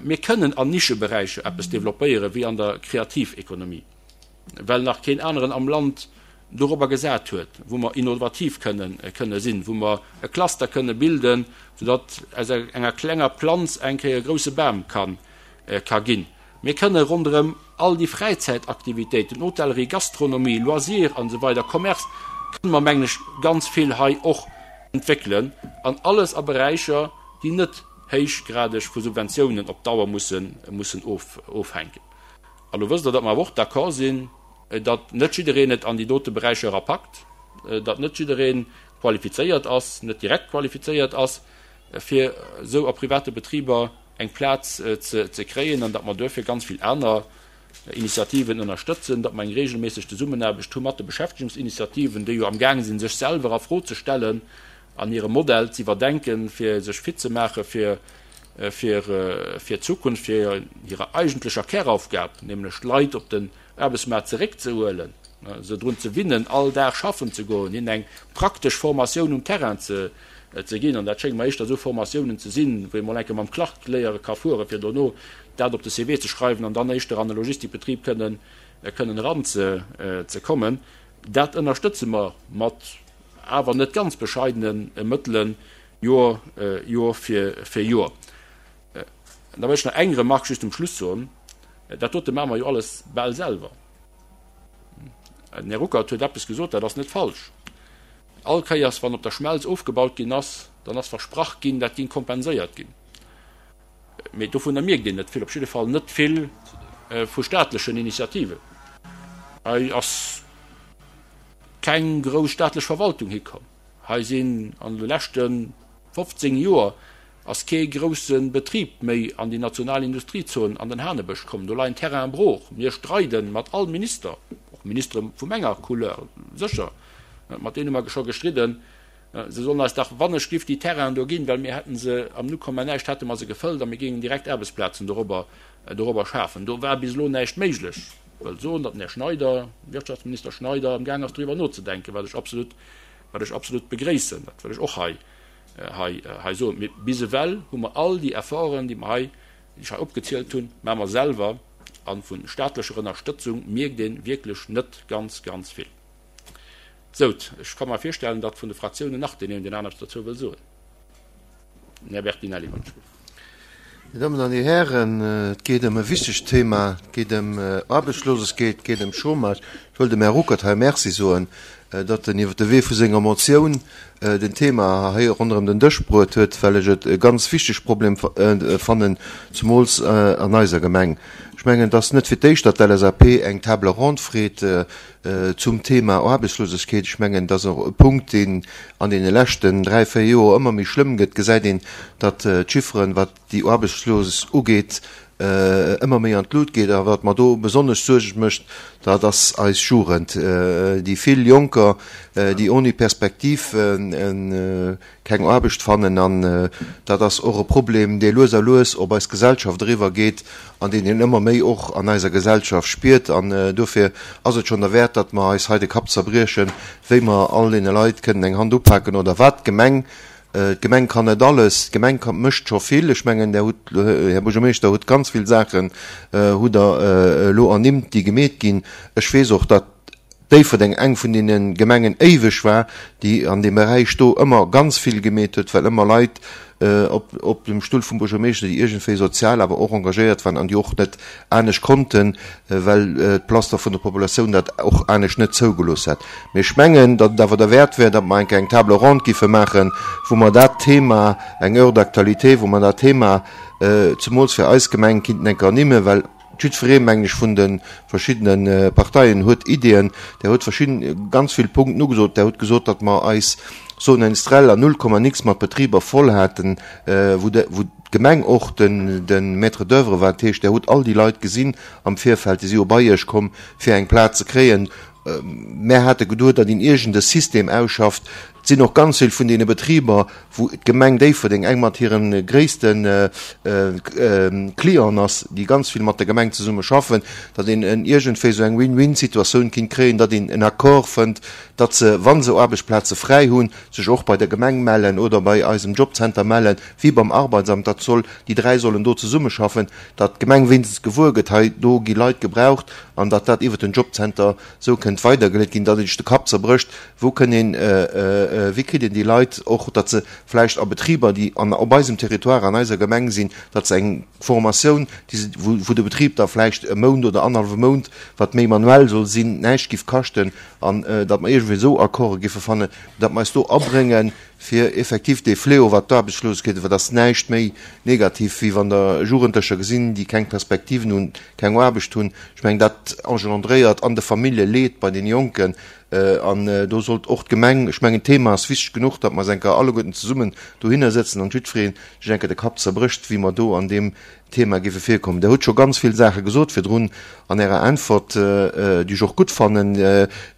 Mir kënnen an Nischeberäicher eppes developpéieren, wéi an der Kreativekonomie, well nach keen aneren am Land dorobber gesat huet, wou mer innovativ kënnen kënne sinn, wou mer e Cluster kënne bilden, soudatt aus enger klenger Planz eng Kéier e grouse Bam ka ka ginn. Mir kënne ronderëm all déi Fräizäitaktivitéiten, Hotellerie, Gastronomie, Loisirs an esou weider, Commerce, kënne mer, mengen ech, ganz vill hei och entwéckelen, an alles a Beräicher, déi net héichgradeg vu Subventiounen op Dauer mussen mussen ofhänken. A lo wësst Der, datt mer awer och d'accord sinn, datt net jiddereen et an déi dote Beräicher erapackt, datt net jidderee qualifizéiert ass, net direkt qualifizéiert ass, fir esou a private Betriber eng Plaz ze kréien, an datt mer duerfir ganz vill aner Initiativen ënnerstëtzen, datt mer eng regelméisseg Zesummenaarbecht hu mat de Beschäftegungsinitiativen, déi jo amgaange sinn, sech selwer a Fro ze stellen an hire Modell ze iwwerdenken, fir sech fit ze maache fir fir d'Zukunft, fir hirer eigentlecher Käraufgab, nämlech d'Leit op den Aarbechtsmaart zeréckzehuelen, se drun ze winnen, all Dag schaffen ze goen, hinnen eng praktesch Formatioun um Terrain ze ginn. An dat schéngt mer éischter esou Formatiounen ze sinn, wou ee mol eng Kéier mam Clark léiere ka fueren, fir dono dat op de C V ze schreiwen an dann éischter an e Logistikbetrib kënnen eranzekommen. Dat ënnerstëtze mer mat awer net ganz bescheidene Mëttelen Joer, Joer fir Joer. Da wëll ech nach eng Remarque just um Schluss soen. Dat dote maache mer jo alles bal selwer. Den Här Ruckert huet eppes gesot, dat ass net falsch. All Kéiers, wann op der Schmelz ofgebaut ginn ass, dann ass versprach ginn, dat géing kompenséiert ginn. Mee dovunner mierkt een net vill, op jidde Fall net vill vu staatlechen Initiativen. Hei ass keng grouss staatlech Verwaltung hikomm. Hei sinn an de leschte fofzéng Joer ass kee grousse Betrib méi an déi national Industriezon an den Hanebësch komm. Do leien Terrainen brooch. Mir streide mat all Minister, och Ministere vu menger Couleur, sécher, mat deene hu mer scho gestridden, se sollen eis dach wannechgift déi Terrainen do ginn, well mir hätte se am Nullkomma-näischt hätte mer se gefëllt a mir géingen direkt Aarbechtsplazen dorobber dorobber schafen. Do war bis elo näischt méiglech. Ech wëll soen, datt den Här Schneider, Wirtschaftsminister Schneider, amgaang ass doriwwer nozedenken, wat ech absolut, wat ech absolut begréissen. Dat wëll ech och hei hei hei soen. Mee bis ewell hu mer all déi Efforten, déi mer hei, déi ech hei opgezielt hunn, maache mer selwer, a vu staatlecher Ënnerstëtzung mierkt ee wierklech net ganz, ganz vill. Sout, ech ka mer virstellen, datt vun de Fraktiounen nach deen een oder deen aneren eppes dozou wëll soen. Den Här Bertinelli, wann ech. Dir Dammen an Dir Hären, et geet ëm e wichtegt Thema, et geet ëm Aarbechtslosegkeet, et geet ëm Chômage. Ech wëll dem Här Ruckert hei Merci soen, datt en iwwer de Wee vu senger Motioun den Thema hei ronderëm den Dësch bruet huet, well ech et e ganz wichteg Problem fannen, zumools an eiser Gemeng. Ech mengen, et ass net fir d'éischt, datt d'LSAP eng Table ronde freet zum Thema Aarbechtslosegkeet. Ech mengen, et ass och e Punkt, deen an deene leschten dräi, véier Joer ëmmer méi schlëmm gëtt. Gesäit een, datt d'Chifferen, wat déi Aarbechtslos ugeet, ëmmer méi an d'Lut geet. A wat mer do besonnesch Suerge mécht, dat ass eis Jugend, déi vill Jonker, déi oni Perspektiv keng Aarbecht fannen. An dat ass och e Problem, dee lues a lues op eis Gesellschaft eriwwer geet an deen een ëmmer méi och an eiser Gesellschaft spiert. An dofir ass et schonn derwäert, datt mer eis hei de Kapp zerbriechen, wéi mer all deene Leit kënnen eng Hand upaken oder wat d'Gemeng D'Gemeng kann net alles, d'Gemeng mécht scho vill. Ech mengen, Der hutt, Här Buergermeeschter, hutt ganz vill Saachen hutt Der elo ernimmt, déi gemeet ginn. Ech weess och, datt Déifferdeng eng vun deene Gemengen éiweg war, déi an deem Beräich do ëmmer ganz vill gemeet huet, well ëmmer Leit op, op dem Stull vum Buergermeeschter, déi iergendwéi sozial awer och engagéiert waren an déi och net anescht konnten, well d'Plaster vun der Populatioun dat och anescht net zougelooss hätt. Mee ech mengen, datt et awer derwäert wär, datt mer eng Kéier eng Table ronde giffe maachen, wou mer dat Thema, eng Heure d'actualité, wou mer dat Thema zemools fir eis Gemeng kinnten eng Kéier ernimmen, well jiddweree, mengen ech, vun de verschiddene Parteien huet Ideeën. Der huet verschidden, ganz vill Punkten ugesot. Der hutt gesot, datt mer eis Zone industrielle an null Komma nix mat Betriber voll haten, wou de, wou d'Gemeng och den, de Maître d'oeuvre war. Dat heescht, Der hutt all déi Leit gesinn am Virfeld, déi si jo bei Iech komm, fir eng Plaz ze kréien. Mär hate geduet, datt een iergend e System ausschafft. Et sinn och ganz vill vun deene Betriber, wou d'Gemeng Déifferdeng eng mat hire gréisste Clienten ass, déi ganz vill mat der Gemeng zesumme schaffen, datt een iergendwéi esou eng Win-win-Situatioun kinnt kréien, datt een en Accord fënnt, datt se, wa se Aarbechtsplaze fräi hunn, sech och bei der Gemeng mellen oder bei eisem Jobcenter mellen, wéi beim Arbeitsamt. Dat soll, déi dräi sollen do zesummeschaffen, datt d'Gemeng wéinstens gewuer gëtt, hei do gi Leit gebraucht, an datt dat iwwert den Jobcenter esou kënnt weidergeleet ginn, datt een sech de Kapp zerbrécht, wou kënn een, wéi kritt een déi Leit och, datt se vläicht a Betriber, déi an, op eisem Territoire, an eiser Gemeng sinn, datt se eng Formatioun, déi se, wou, wou de Betrib da vläicht e Mount oder annerhallwe Mount, wat méi manuell soll sinn, näischt giff kaschten, an datt mer iergendwéi esou Accorde giffe fannen, datt mer eis do abréngen, fir effektiv dee Fléau, wat d'Aarbechtslosegkeet, wat ass näischt méi negativ, wéi wann Der Jugendlecher gesinn, déi keng Perspektiven hunn, keng Aarbecht hunn. Ech mengen, dat engendréiert an de Famillje Leed bei deene Jonken. An do sollt och d'Gemeng, ech mengen, d'Thema ass wichteg genuch, datt mer eis eng Kéier alleguerten zesummen dohinner sëtzen an jiddweree sech eng Kéier de Kapp zerbrécht, wéi mer do an deem Thema géife virkommen. Der hutt scho ganz vill Saache gesot virdrun an Ärer Äntwert, déi ech och gutt fannen,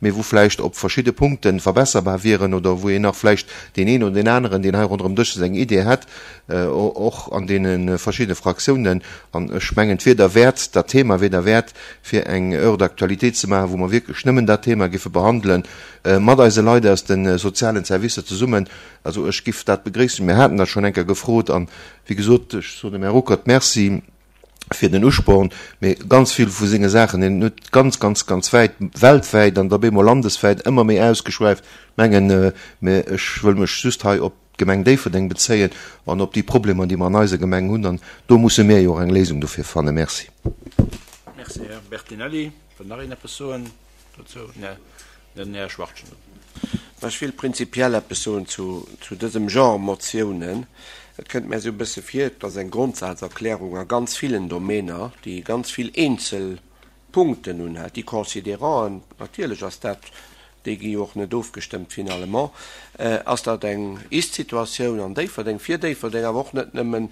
mee wou vläicht op verschidde Punkte verbesserbar wieren oder wou een nach vläicht deen een oder deen aneren, deen hei ronderëm Dësch sëtzt, eng Idee hätt, och an deene verschiddene Fraktiounen. An ech mengen, et wier derwäert, dat Thema wier derwäert, fir eng Heure d'actualité ze maachen, wou mer wierklech nëmmen dat Thema géife behandelen, mat eise Leit aus de sozialen Servicer zesummen. Also ech giff dat begréissen. Mir haten dat schonn eng Kéier gefrot an, wéi gesot, ech soen dem Här Ruckert Merci fir den Usporn, mee ganz vill vu senge Saachen, en huet ganz, ganz, ganz wäit, weltwäit an da bemol landeswäit ëmmer méi ausgeschwäift, mengen, mä ech wëll mech just hei op d'Gemeng Déifferdeng bezéien an op déi Problemer, déi mer an eiser Gemeng hunn, an do musse mir jo och eng Léisung dofir fannen. Merci. Merci, Här Bertinelli. Wëll nach een eppes soen dozou? Nee. Den Här Schwachtgen. Ech wéilt prinzipiell eppes soen zu dësem Genre Motiounen. Et kënnt mär esou e bësse vir, et ass eng Grondsazerklärung a ganz villen Domäner, déi ganz vill eenzel Punkten unhält. Déi Considéranten, natierlech ass dat, déi gi jo och net ofgestëmmt finalement, ass dat eng Ist-Situatioun an Déifferdeng, fir Déifferdeng, awer och net nëmmen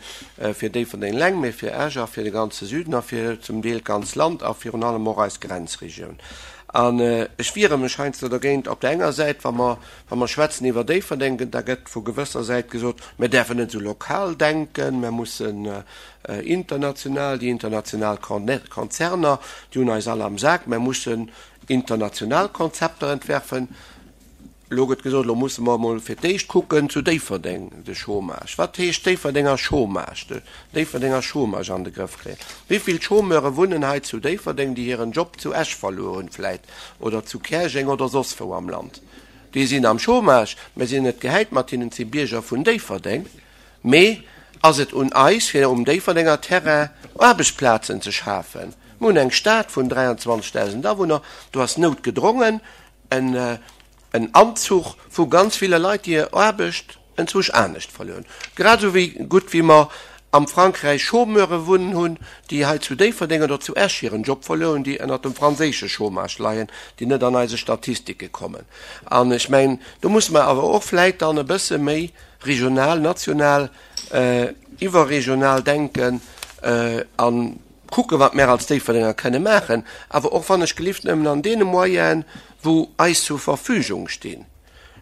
fir Déifferdeng eleng, mee fir Esch a fir de ganze Süden a fir zum Deel d'ganz Land a virun allem och eis Grenzregioun. An ech wiere mech heiansdo dergéint, op där enger Säit, wa mer, wa mer schwätzen iwwer Déifferdeng, da gëtt vu gewësser Säit gesot, mir däerfen net esou lokal denken, mir mussen international, déi international Konzerner, déi hunn eis all am Sak, mir mussen international Konzepter entwerfen. Elo gëtt gesot, elo musse mer emol fir d'éischt kucken zu Déifferdeng de Chômage. Wat heescht Déifferdenger Chômage? De Déifferdenger Chômage an de Grëff kréien. Wéi vill Chômeure wunnen hei zu Déifferdeng, déi hiren Job zu Esch verluer hunn vläit oder zu Käerjeng oder soss wou am Land? Déi sinn am Chômage, mer sinn net gehäit mat hinnen, et si Bierger vun Déifferdeng, mee ass et un eis, fir um Déifferdenger Terrain Aarbechtsplazen ze schafen. Mir hunn eng Stad vun dräianzwanzegdausend Awunner, do ass noutgedrongen en en Anzuch vu ganz ville Leit, déi hir Aarbecht enzwousch anescht verluer hunn. Grad esou wéi gutt wéi mer am Frankräich Chômeure wunnen hunn, déi hei zu Déifferdeng oder zu Esch hiren Job verluer hunn, déi ënnert dem franséische Chômage leien, déi net an eise Statistike kommen. An ech mengen, do musse mer awer och vläit dann e bësse méi regional, national, iwwerregional denken a kucken, wat mär als Déifferdenger kënne maachen, awer och wann ech gelift nëmmen an deene Moyenen, wou eis zur Verfügung stinn.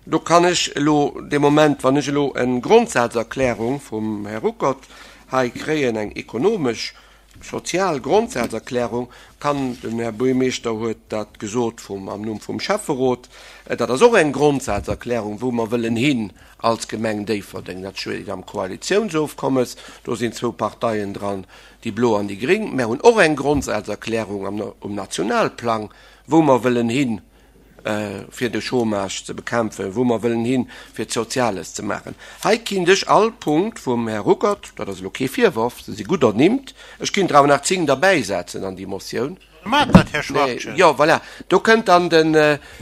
Do kann ech elo dee Moment, wann ech elo eng Grondsazerklärung vum Här Ruckert hei kréien, eng ekonomesch, sozial Grondsazerklärung, kann, den Här Buergermeeschter huet dat gesot vum, am Numm vum Schäfferot, dat ass och eng Grondsazerklärung, wou mer wëllen hin als Gemeng Déifferdeng. Dat steet am Koalitiounsofkommes, do sinn zwou Parteien dran, déi Blo an déi Gring. Mär hunn och eng Grondsazerklärung am, um Nationalplang, wou mer wëllen hin, fir de Chômage ze bekämpfen, wou mer wëllen hin, fir d'Soziales ze maachen. Hei kinnt ech all Punkt vum Här Ruckert, dat ass elo kee Virworf, se si gutt ernimmt, ech kinnt der awer nach zéng derbäisetzen an déi Motioun. Maacht dat, Här Schwachtgen. Jo, voilà, do kënnt dann den,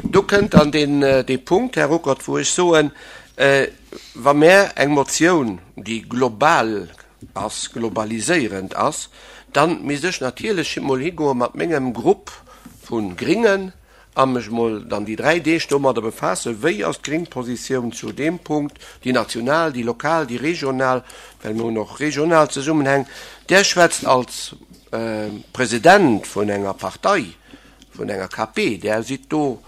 do kënnt dann deen, dee Punkt, Här Ruckert, wou ech soen, wa mär eng Motioun, déi global ass, globaliséierend ass, dann misst ech natierlech emol higoe mat mengem Grupp vu Gringen a mech emol dann déi dräi Deeg domadder befaassen, wéi ass d'gréng Positioun zu deem Punkt, déi national, déi lokal, déi regional, well mir hunn och regional Zesummenhäng. Där schwätzt als President vun enger Partei, vun enger K P, Där sidd do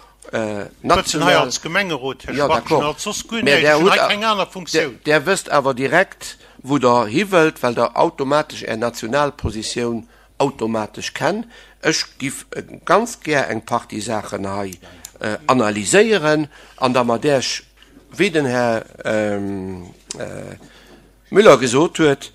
national. Als Gemengerot, Här Schwachtgen, als soss guer näischt, ech hunn hei keng aner Funktioun. Där wësst awer direkt, wou Der hiwëllt, well Der automatesch Är national Positioun automatesch kenn. Ech giff ganz gär eng Partie Saachen hei analyséieren an da mat Iech, wéi den Här Müller gesot huet,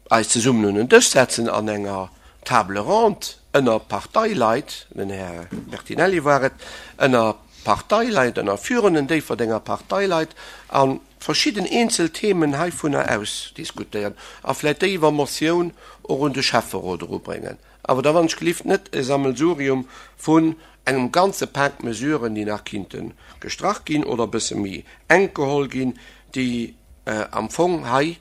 eis zesummen un en Dësch setzen an enger Table ronde ënner Parteileit, den Här Bertinelli war et, ënner Parteileit, ënner führenden Déifferdenger Parteileit a verschidden eenzel Themen heivunner ausdiskutéieren a vläicht déi iwwer Motioun och un de Schäfferot erubréngen. Awer da wann ech gelift net e Sammelsurium vun engem ganze Pak Mesuren, déi nach kinnte gestrach ginn oder e bësse méi enk geholl ginn, déi am Fong hei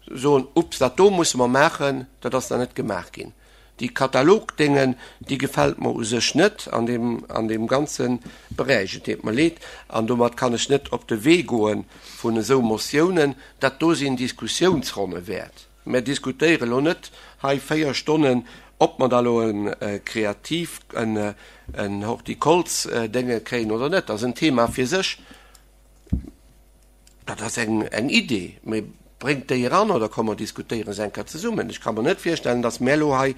soen, Ups, dat do musse mer maachen, dat ass nach net gemaach ginn. Déi Katalogdéngen, déi gefält mer u sech net an deem, an deem ganze Beräich. Et deet mer leed, an domat kann ech net op de Wee goe vun esou Motiounen. Dat do sinn Diskussiounsronne wäert. Mer diskutéiere lo net hei véier Stonnen, ob mer da lo e Kreativ, en, en Hortikolz-Dénge kréien oder net. Dat ass en Thema fir sech. Dat ass eng, eng Idee, mee bréngt déi eran oder komm mer diskutéiere se eng Kéier zesummen. Ech ka mer net virstellen, datt mär elo hei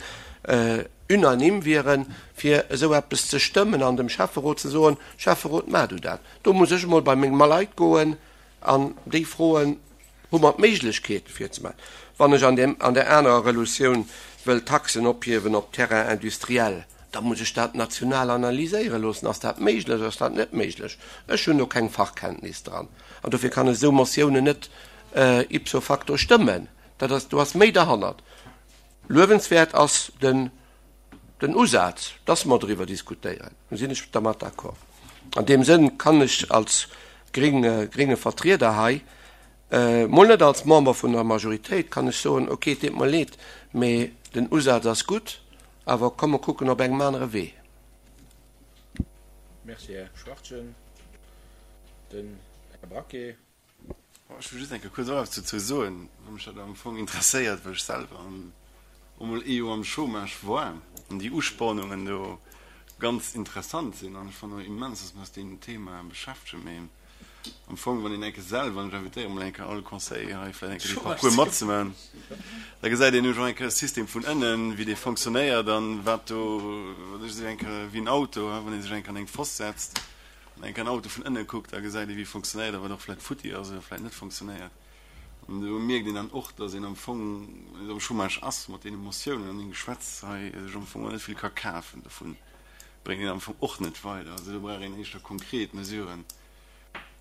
unanime wieren, fir esou eppes ze stëmmen an dem Schäfferot ze soen, Schäfferot, maach du dat. Do muss ech emol bei meng Leit goen an déi froen, Hu mer d'Méiglechkeet fir ze maachen? Wann ech an deem, an där anerer Relutioun wëll Taxen ophiewen op Terrain industriel, da muss ech dat national analyséiere loossen. Ass dat méiglech, ass dat net méiglech? Ech hunn do keng Fachkenntnis dran an dofir kann ech esou Motiounen net ipso facto stëmmen. Dat ass, do ass méi derhannert. Luewenswäert ass den, den Usaz, dass mer driwwer diskutéieren. Do sinn ech dermat d'accord. An deem Sënn kann ech als gring, gringe Vertrieder hei, mol net als Member vun der Majoritéit, kann ech soen, okay, et deet mer leed, mee den Usaz ass gutt, awer komm mer kucken op engem anere Wee. Merci, Här Schwachtgen. Den Här Braquet. Ech wëll just eng Kéier kuerz och eppes dozou soen, well mech dat am Fong interesséiert, well ech selwer emol ee Joer am Chômage war an déi Uspornungen do ganz interessant sinn. An ech fannen och immens, dass mer eis deem Thema beschäftegen. Mee am Fong, wann een eng Kéier selwer, an ech invitéiere mol eng Kéier all Conseiller hei vläicht eng Kéier dee Parcours matzemaachen, da gesäit een jo och eng Kéier de System vun ënnen, wéi dee fonctionnéiert an wat do, wat ech esou eng Kéier wéi en Auto, wann ee sech eng Kéier an eng Foss setzt, Wann een en Auto vun ënne kuckt, da gesäit ee wéi e fonctionnéiert a wat och vläit futti ass oder vläit net fonctionnéiert. An do mierkt een dann och, datt een am Fong, wann een am Chômage ass, mat deene Motiounen an deem Geschwätz hei sech am Fong och net vill ka kafen. Dovun bréngt een am Fong och net weider. Also do brauch een éischter konkret Mesuren,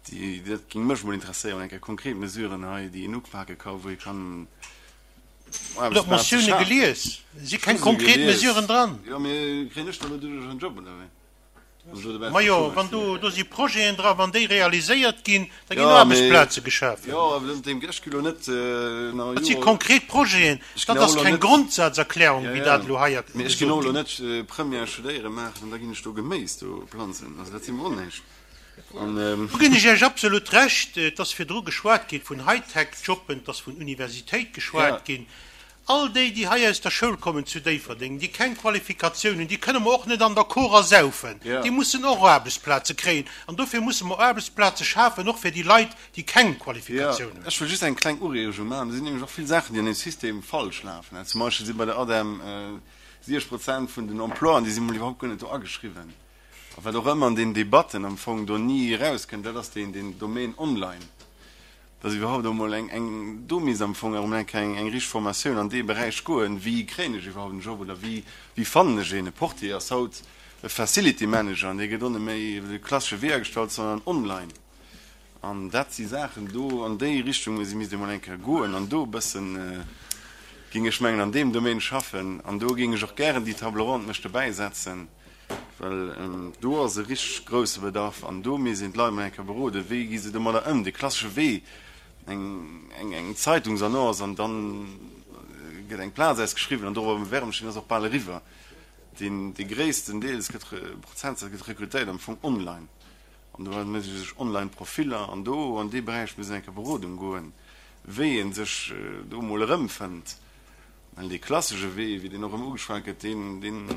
Déi, dat géing mech emol interesséieren, eng Kéier konkret Mesuren hei, déi een upake ka, wou ee kann Hutt Der Aarbechtsplaze d'Motioune schafen. gelies? Et si Ech keng hu se konkret gelies. Mesuren dran. Jo, mee kréien ech da elo doduerch en Job, oder wéi? Wann ech elo dobausse Majo, Chômage wann sinn? do, do si Projeten dran, wann déi realiséiert ginn, da ginn Jo, mee, Aarbechtsplaze geschafen. jo, awer dem, dem, ech gi elo net nach Dat si Joer, konkret Projeten, ech ginn dat och ass elo keng net, Grondsazerklärung, jo, wéi jo, dat elo hei mee ech ginn gesot och elo ginn. net Première studéiere maachen an da ginn ech do Geméis do planzen. Also dat si mer onnéisch. Do ginn ech Iech absolut Recht. Et ass virdru geschwat gi vun Hightech-Jobben, et ass vun Universitéit geschwat ginn. All déi, déi hei aus der Schoul kommen zu Déifferdeng, déi keng Qualifikatioun hunn, déi kënne mer och net an der Kora saufen. Déi mussen och Aarbechtsplaze kréien. An dofir musse mer Aarbechtsplaze schafen, och fir déi Leit, déi keng Qualifikatioun hunn. Ech wëll just eng kleng Ureegung maachen. Do sinn nämlech och vill Saachen, déi an deem System falsch lafen. Zum Beispill si bei der ADEM siwwzeg Prozent vun den Emploien, déi si mol iwwerhaupt guer net do ageschriwwen. A wat och ëmmer an den Debatten am Fong do ni erauskënnt, dat ass deen, deen Domaine online, dass iwwerhaupt emol eng, eng, do misst am Fong erëm eng Kéier eng, eng richteg Formatioun an dee Beräich goen, wéi kréien ech iwwerhaupt en Job oder wéi, wéi fannen ech een. E Portier ass haut e Facility Manager an dee gëtt och net méi iwwer de klassesche Wee agestallt, sondern online. An dat si Saachen do, an déi Richtung misst ee mol eng Kéier goen an do e bëssen, géing ech mengen, an deem Domaine schaffen. An do géing ech och gären déi Table ronde mech dobäisetzen. Well do ass e richteg grousse Bedarf an do misst een d'Leit mol eng Kéier beroden, wéi gi se domadder ëm. Dee klassesche Wee, eng Zeitungsannonce an dann gëtt eng Plaz ausgeschriwwen an dorobber bewerben ech, deen ass och bal eriwwer. Deen, dee gréissten Deel, es gëtt, Prozentsaz gëtt rekrutéiert am Fong online an do mécht ee sech online Profiller an do an dee Beräich misst een eng Kéier Berodung goen, wéi ee sech do mol erëmfënnt. Well dee klassesche Wee, wéi deen och ëmmer ugeschwat gëtt, deen, deen,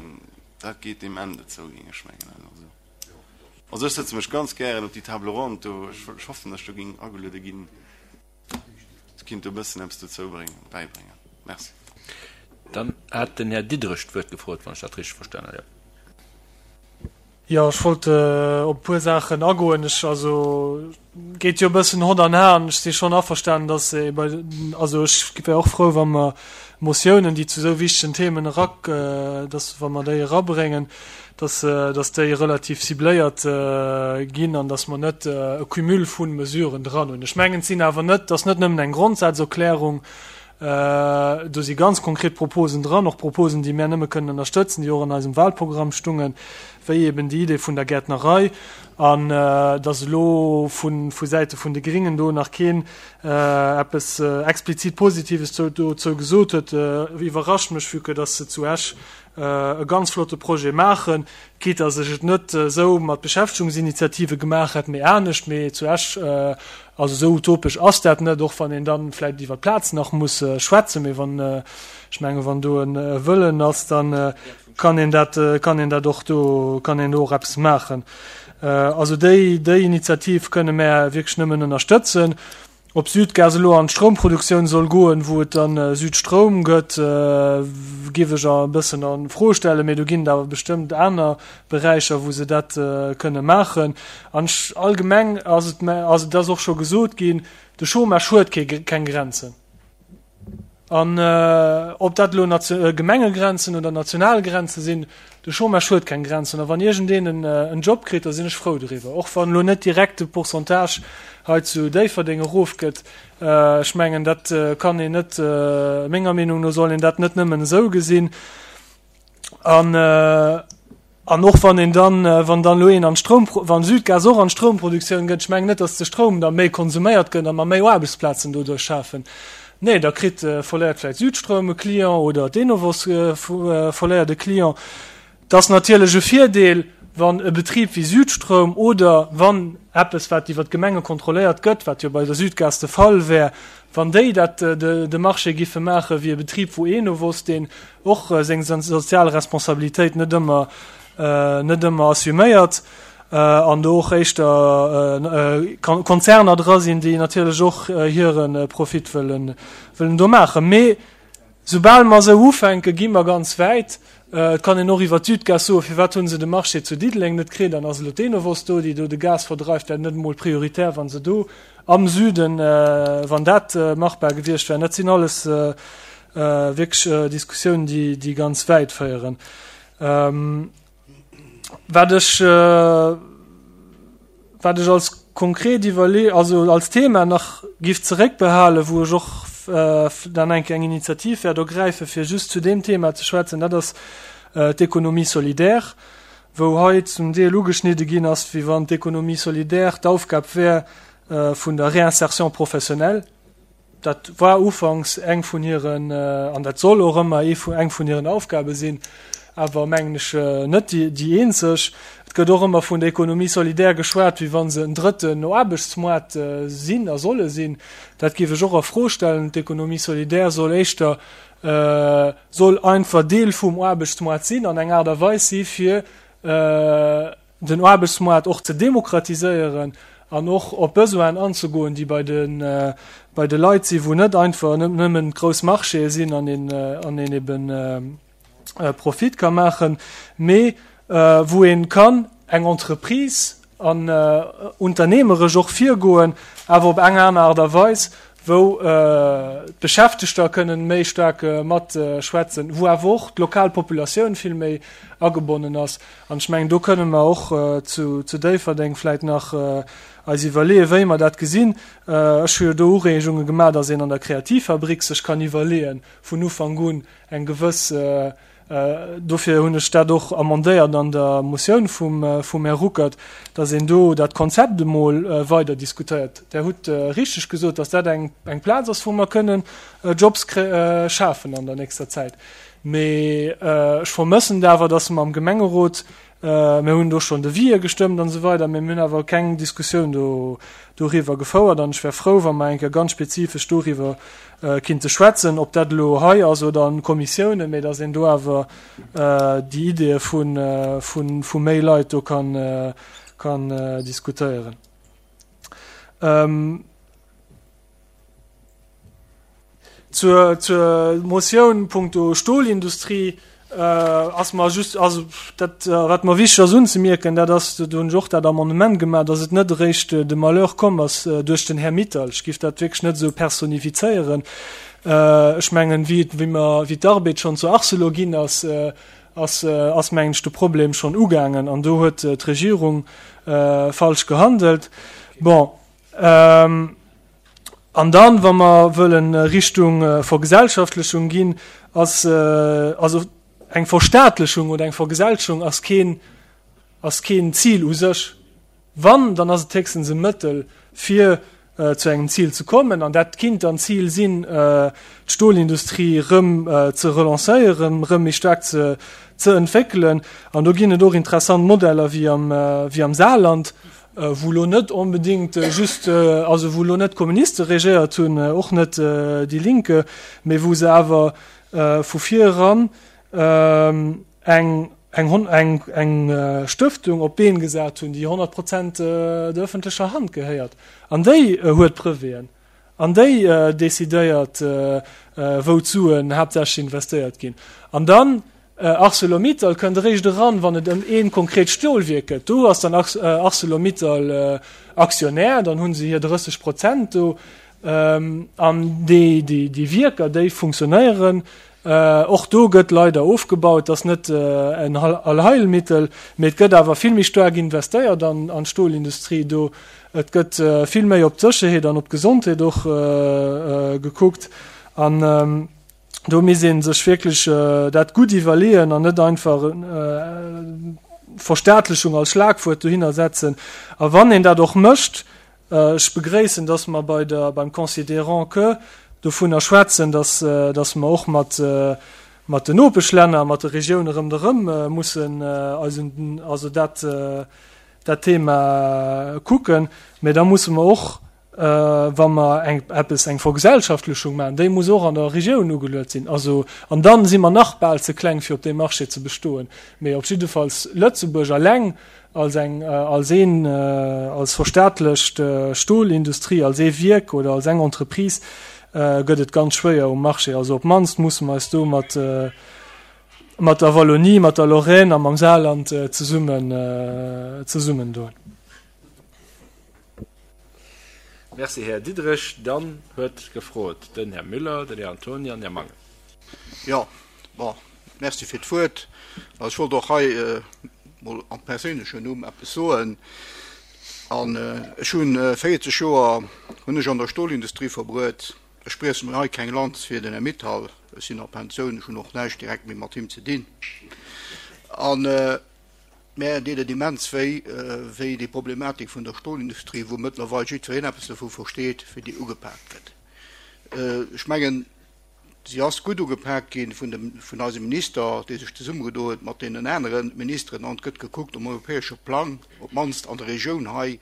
dat geet deem Ende zou, géing ech mengen. Also, also ech sëtze mech ganz gären op déi Table ronde do. Ech, ech hoffen, datt ech do géing ageluede ginn. Ech kinnt do e bëssen eppes dozou bréngen, bäibréngen. Merci. Dann hat den Här Diderich d'Wuert gefrot, wann ech dat richteg verstanen hunn. Jo. Jo, ech wollt op e puer Saachen agoen. Ech, also, geet jo e bëssen Hond an Har. Ech si schonn averstanen, dass ee bei, also ech wär och frou, wa mer Motiounen, déi zu esou wichtegen Themen erak, dass wa mer déi erabréngen, dass, dass déi relativ cibléiert ginn an dass mer net e Cumul vu Mesuren dran hunn. Ech mengen, et sinn awer net, et ass net nëmmen eng Grondsazerklärung, Do si ganz konkret Proposen dran, och Proposen, déi mär nëmme kënnen ënnerstëtzen, déi och an eisem Wahlprogramm stungen, wéi eben déi Idee vun der Gäertnerei. An dass elo vu Säite vun de Gringen do nach keen eppes explizit Positives dozou gesot huet, iwwerrascht mech, vue que dass se zu Esch e ganz flotte Projet maachen, quitte dass ech et net esou mat Beschäftegungsinitiative gemaach hätt, mee anescht. Mee zu Esch, also esou utopesch ass dat net, och wann een da vläicht iwwer d'Plaz nach muss schwätzen. Mee wann, ech menge wann do e Wëllen ass, da kann een dat, kann een dat och do, kann een do och eppes maachen. Also déi, déi Initiativ kënne mär wierklech nëmmen ënnerstëtzen. Ob Südgas elo an d'Stroumproduktioun soll goen, wou et dann Südstroum gëtt, géif ech e bëssen a Fro stellen, mee do ginn et awer bestëmmt aner Beräicher, wou se dat kënne maachen. An allgemeng ass et, ass et ass och scho gesot ginn, de Chômage huet keng Grenzen. An ob dat elo Gemengegrenzen oder national Grenze sinn, de Chômage huet keng Grenzen. A wann iergendeen en Job kritt, da sinn ech frou doriwwer, och wann elo net direkt de Pourcentage hei zu Déifferdeng erofgëtt. Ech mengen, dat kann een net, menger Meenung no soll een dat net nëmmen esou gesinn. An An och wann een dann, wann dann elo een an d'Stroum, wann Südgas och an d'Stroumproduktioun gëtt, ech mengen net, datt de Stroum da méi konsuméiert gëtt a mer méi Aarbechtsplazen doduerch schafen. Nee, da kritt, verléiert vläicht Südstroum e Client oder d'Enovos verléiert e Client. Et ass natierlech e Virdeel, wann e Betrib wéi Südstroum oder wann eppes, wat iwwer d'Gemenge kontrolléiert gëtt, wat jo bei der Südgas de Fall wär, wann déi dat de Marché giffe maache wéi e Betrib wou Enovos, deen och seng sozial Responsabilitéit net ëmmer net ëmmer assuméiert an do och éischter Konzerner dra sinn, déi natierlech och hire Profit wëllen wëllen do maachen. Mee soubal mer esou ufänken, gi mer ganz wäit. Et kann een och iwwer d'Südgas soen, firwat hu se de Marché zu Diddeleng net kritt an ass elo d'Enovos do, déi do de Gas verdreift, wär net emol prioritär, wa se do am Süden, wann dat machbar gewiescht wär. Dat sinn alles wierklech Diskussiounen, déi ganz wäit féieren. Wat ech, wat ech als konkret iwwerlee also als Thema nach giff zeréckbehalen, wou ech och dann eng Kéier eng Initiativ wäert ergräifen, fir just zu deem Thema ze schwätzen, dat ass d'Économie solidaire, wou hei zum Deel ugeschnidde ginn ass, wéi wann d'Économie solidaire d'Aufgab wär vun der Réinsertion professionnelle. Dat war ufanks eng vun hiren, an dat soll och ëmmer eng vun hiren Aufgabe sinn, awer mengen ech net déi eenzeg. Et gëtt och ëmmer vun der Économie solidaire geschwat, wéi wa se en drëtten Aarbechtsmoart sinn a solle sinn. Dat géif ech och a Fro stellen. D'Économie solidaire soll éischter, soll einfach Deel vum Aarbechtsmoart sinn an eng Aart a Weis si fir den Aarbechtsmoart och ze demokratiséieren an och op Besoinen anzegoen, déi bei de, bei de Leit sinn, wou net einfach nëmmen grouss Marchéë sinn an een, an een eben Profit ka maachen, mee wou ee kann eng Entreprise an unternehmeresch och virgoen, awer op eng aner Aart a Weis, wou d'Beschäftegter kënnen méi staark matschwätzen, wou awer och d'lokal Populatioun vill méi agebonnen ass. An ech mengen, do kënnen mer och zu Déifferdeng vläicht nach eis iwwerleeën, wéi mer dat gesinn. Ech hu jo do Ureegunge gemaach, dass een an der Kreativfabrik sech kann iwwerleeën, vun Ufank un eng gewëss, Dofir hunn ech dat och amendéiert an der Motioun vum Här Ruckert, dass een do dat Konzept emol weider diskutéiert. Der hutt richteg gesot, dass dat eng Plaz ass, wou mer kënnen Jobs schafen an der nächster Zäit. Mee ech vermëssen awer, dass mer am Gemengerot, mir hunn do schonn Devisë gestëmmt an esou weider, mee mir hunn awer keng Diskussioun do doriwwer gefouert. An ech wär frou, wa mer eng Kéier ganz spezifesch doriwwer kinnte schwätzen, ob dat elo hei ass oder an Kommissiounen, mee dass een do awer déi Ideeë vu méi Leit do kann diskutéieren. Zur, zur Motioun punkto Stolindustrie ass mer just, also dat, wat mer wichteg ass unzemierken, dat ass, do hunn ech och dat Amendement gemaach, dass et net eréischt de Malheur komm ass duerch den Här Mittal. Ech géif dat wierklech net esou personifizéieren. Ech mengen, wéi, wéi mer, wéi d'Arbed schonn zu Arcelor ginn ass, ass, ass mengen ech de Problem schonn ugaangen an do huet d'Regierung falsch gehandelt. Bon. An dann, wa mer wëllen Richtung Vergesellschaftlechung ginn, ass, also eng Verstaatlechung oder eng Vergesellschung ass keen, ass keen Zil u sech. Wann, dann ass et héchstens e Mëttel, fir zu engem Zil ze kommen. An dat kinnt dann d'Zil sinn, d'Stolindustrie erëm ze relancéieren, erëm méi staark ze, ze entwéckelen. An do ginn et och interessant Modeller wéi am, wéi am Saarland, wou elo net onbedéngt just, also wou elo net d'Kommuniste regéiert hunn, och net déi Linke, mee wou se awer vu vir eran eng, eng, eng, eng Stëftung op d'Been gesat hunn, déi honnert Prozent der ëffentlecher Hand gehéiert. An déi huet Breveten an déi decidéiert, wou d'Suen haaptsächlech investéiert ginn. An dann Arcelor-Mittal kënnt eréischt eran, wann et ëm ee konkret Stolwierk gëtt. Do ass dann Arcelor-Mittal Aktionär, dann hu se hir drësseg Prozent do. An déi Wierker, déi funktionéieren. Och do gëtt leider ofgebaut. Dat ass net en Allheilmittel, mee et gëtt awer vill méi staark investéiert an d'Stolindustrie do. Et gëtt vill méi op d'Sécherheet an op d'Gesondheet och gekuckt. An do misst ee sech wierklech dat gutt iwwerleeën an net einfach Verstaatlechung als Schlagwuert dohinner setzen. A wann een dat och mécht, ech begréissen, dass mer bei der, beim Considérant que dovunner schwätzen, dass, dass mer och mat, mat den Nopeschlänner, mat de Regioune rëmderëm mussen eis un, also dat, dat Thema kucken, mä da musse mer och, wa mer eng, eppes, eng Vergesellschaftlechung maachen, déi muss och an der Regioun ugeluet sinn. Also, an dann si mer nach bal ze kleng, fir op deem Marché ze bestoen. Mee op jiddefalls Lëtzebuerg eleng als eng, als een, als verstaatlecht Stolindustrie, als ee Wierk oder als eng Entreprise, gëtt et ganz schwéier um Marché. Also op d'mannst musse mer eis do mat, mat der Wallonie, mat der Lorraine a mam Saarland zesummen, zesummendoen. Merci, Här Diderich. Dann huet gefrot den Här Müller, den Här Antoni an den Här Mangen. Jo, bon, merci fir d'Wuert. Also ech wollt och hei mol am perséinlechen Numm eppes soen. An ech hunn véierzeg Joer hunn ech an der Stolindustrie verbruet. Ech brieche mir hei keng Lanz fir den Här Mittal, ech sinn a Pensioun, ech hunn och näischt direkt méi mat him ze dinn. An mär deet et immens wéi, wéi déi Problematik vun der Stolindustrie, wou mëttlerweil jiddwereen eppes dovu versteet, wéi déi ugepaakt gëtt. Ech mengen, si ass gutt ugepaakt gi vun dem, vun eisem Minister, dee sech zesummegedo huet mat deenen anere Ministeren, an et gëtt gekuckt um europäesche Plang, op d'mannst an der Regioun hei,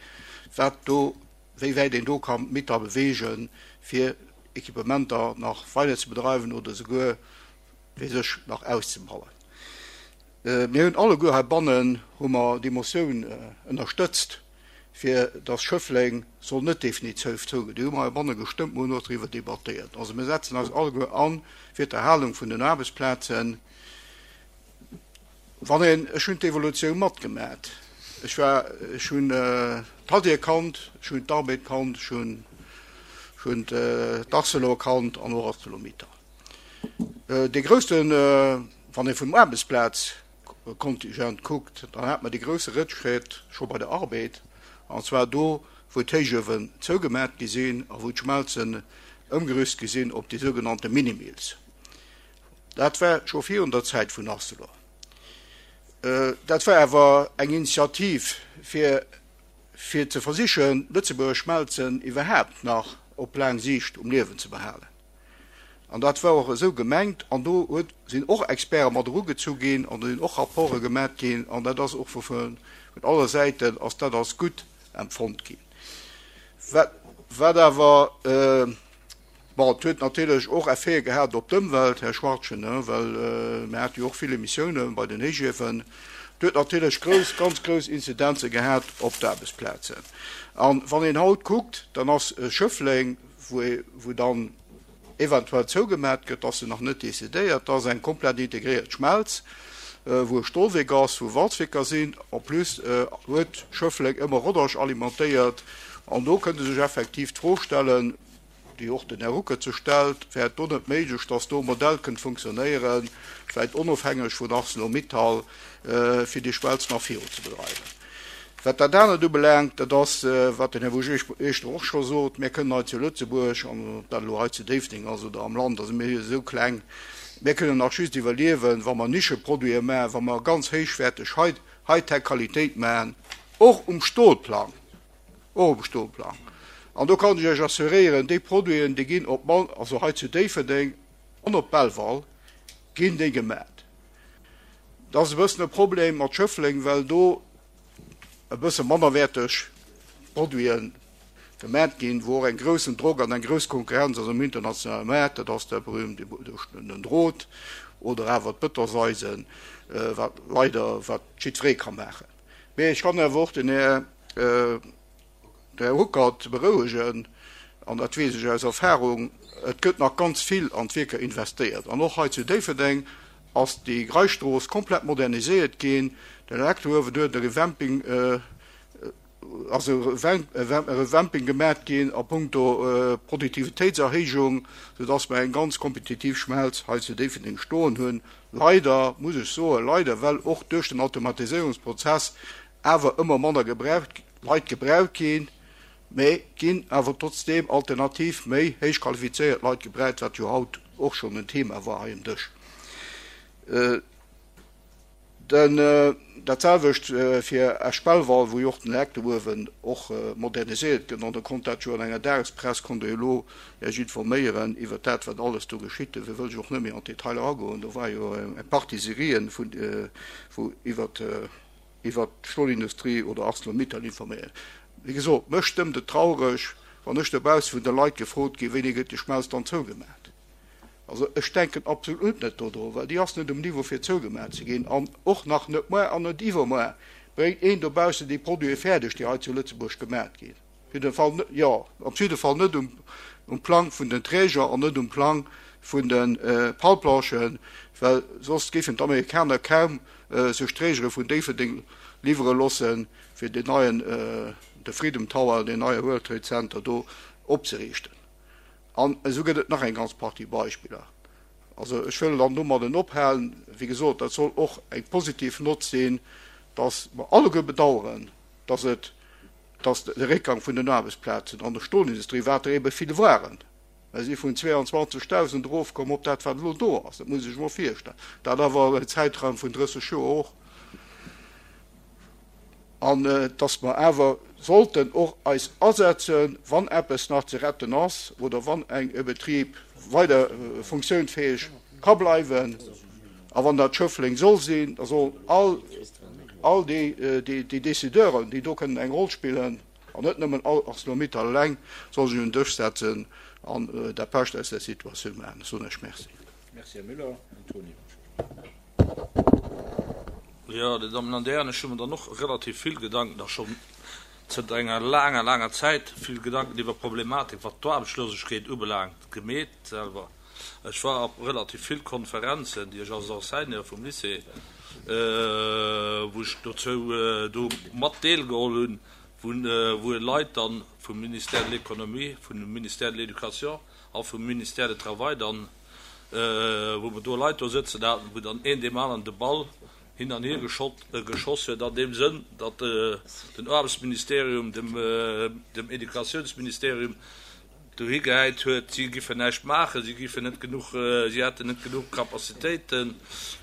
wat do, wéi wäit een do ka Mittal beweegen, fir Equipementer nach weider ze bedreiwen oder souguer fir sech nach auszebauen. Mir hunn alleguer heibannen hu mer déi Motioun ënnerstëtzt, fir dass Schëffleng soll net definitiv zouginn. Déi hu mer heibanne gestëmmt, mer hunn och driwwer debattéiert. Also mir setzen eis alleguer a fir d'Erhalung vun den Aarbechtsplazen. Wann een, ech hunn d'Evolutioun matgemat, ech war, ech hunn d'Hadir kannt, ech hunn d'Arbed kannt, ech hunn, ech hunn d'Arcelor kannt an och ArcelorMittal. Dee groussen, wann ee vum Aarbechtsplazkontingent kuckt, dann hat mer dee grousse Rëttschrétt scho bei der Arbed, an zwar do, wou d'Héichuewen zougemat gi sinn a wou d'Schmelzen ëmgerüst gi sinn op déi sougenannte Minimills. Dat war scho virun der Zäit vun Arcelor. Dat war awer eng Initiativ, fir fir ze versichen, d'Lëtzebuerger Schmelzen iwwerhaapt nach op laang Siicht um Liewen ze behalen. An dat war och esou gemengt. An do huet, sinn och Experte mat erugezu ginn an do sinn och Rapporte gemat ginn. An dat ass och vu vun alle Säiten ass dat als gutt empfonnt ginn. Wat, wat awer, Bon, et huet natierlech och Effete gehat op d'Ëmwelt, Här Schwarzchen, well mir hate jo och vill Emissiounen bei den Héichiewen. Et huet natierlech grouss, ganz grouss Inzidenze gehat op d'Aarbechtsplazen. A wann een haut kuckt, dann ass Schëffleng, wou ee, wou dann eventuell zougemat gëtt, ass se nach net decidéiert, dat ass eng komplett integréiert Schmelz, wou e Stolwierk ass, wou Walzwierker sinn. En plus huet Schëffleng ëmmer Rodange alimentéiert. An do kënnt ee sech effektiv d'Fro stellen, déi och den Här Ruckert sech stellt, Wär et do net méiglech, dass do e Modell kënnt funktionéieren, vläicht onofhängeg vun Arcelor-Mittal, fir déi Schmelz nach virunzebedreiwen? Wat dat anert ubelaangt, dat ass, wat den Här Wujesch och scho sot, Mir kënnen hei zu Lëtzebuerg, an ob dat elo hei zu Déifferdeng ass oder am Land, also mir si jo esou kleng, mir kënnen nach just iwwerliewen, wa mer Nischeproduite maachen, wa mer ganz héichwäerteg Hightech-Qualitéit maachen, och um Stolplang. Och um Stolplang. An do kann ech Iech assuréieren, déi Produiten, déi ginn op d'mannst, also hei zu Déifferdeng an op Belval ginn déi gemat. Dat ass e bëssen e Problem mat Schëffleng, well do e bësse mannerwäerteg Produite gemat ginn, wou och en groussen Drock an eng grouss Konkurrenz ass um internationale Maart, dat ass der berühmte den Drot oder awer d'Bëtonseisen, wat leider, wat jiddweree ka maachen. Mee ech kann awer och den Här Här Ruckert berouegen, an dat weess ech aus Erfahrung, et gëtt nach ganz vill an d'Wierker investéiert. An och hei zu Déifferdeng ass déi Greistrooss komplett moderniséiert ginn. Den Elektrouewen huet e Revamping, ass e Revamping gemat ginn a puncto Produktivitéitserhéijung, soudass mer eng ganz kompetitiv Schmelz hei zu Déifferdeng stoen hunn. Leider, muss ech soen, leider, well och duerch den Automatiséierungsprozess awer ëmmer manner gebraucht, Leit gebraucht ginn, mä ginn awer trotzdeem alternativ méi héich qualifizéiert Leit gebraucht, wat jo haut och schonn en Thema war hei um Dësch. Den, dat selwecht fir Esch-Belval, wou jo och den Elektrouewen och moderniséiert gëtt, an Der konnt dat jo an enger Dagespress, konnt Der jo elo Iech informéieren iwwert dat, wat alles do geschitt. Dofir wëll ech och net méi an d'Detailer agoen. Do war jo eng Partie Serien, vun, wou iwwert, iwwert d'Stolindustrie oder Arcelor-Mittal informéieren. Wéi gesot, mech stëmmt et traureg, wann ech dobausse vun de Leit gefrot ginn, Wéini gëtt déi Schmelz dann zougemat? Also ech denken absolut net dodru, well déi ass net um Niveau fir zougemat ze ginn an och nach net muer an net iwwermuer bréngt een dobaussen déi Produite fäerdeg, déi hei zu Lëtzebuerg gemat ginn. Op jidde Fall net, jo, op jidde Fall net um, um Plang vun den Träger an net um Plang vun de Palplanchen, well soss géifen d'Amerikaner kaum sech Trägere vun Déifferdeng liwwere loossen, fir deen neien, de Freedom Tower, deen neie World Trade Center do opzeriichten. An esou gëtt et nach eng ganz Partie Beispiller. Also ech wëll dann domadden ophalen. Wéi gesot, dat soll och eng positiv Nott sinn, dass mer alleguer bedauern, dass et dass de Réckgang vun den Aarbechtsplazen an der Stolindustrie, wat der ebe vill waren, mer si vun zweeanzwanzegdausend erofkomm op dat, wat elo do ass, dat muss ee sech emol virstellen, dat awer iwwer en Zäitraum vun drësseg Joer och, an dass mer awer sollten och eis asetzen, wann eppes nach ze retten ass oder wann eng e Betrib weider funktionsfäeg ka bleiwen a wann dat Schëffleng soll sinn, da sollen all all déi déi Décideuren, déi do kënnen eng Roll spillen, an net nëmmen Arcelor-Mittal eleng, soll sech un den Dësch setzen an dat Bescht aus där Situatioun maachen. Ech soen Iech Merci. Merci, Här Müller. Här Antony. Jo, Dir Dammen an Dir Hären, ech hu mer dann och relativ vill Gedanken, a schonn zënter enger laanger, laanger Zäit vill Gedanken iwwer d'Problematik, wat d'Aarbechtslosegkeet ubelaangt, gemeet selwer. Ech war op relativ vill Konferenzen, déi ech als Enseignant vum Lycée, wou ech dozou do mat deelgeholl hunn, wou Leit dann vum Ministère de l'Économie, vum Ministère de l'Éducation a vum Ministère de Travail dann, wou mer do Leit do sëtzen haten, wou dann een deem aneren de Ball hin an hier geschoss huet, an deem Sënn, datt den Aarbechtsministerium dem Educatiounsministerium dohi gehäit huet, si giffen näischt maachen, si giffen net genuch, si hätten net genuch Capacitéiten,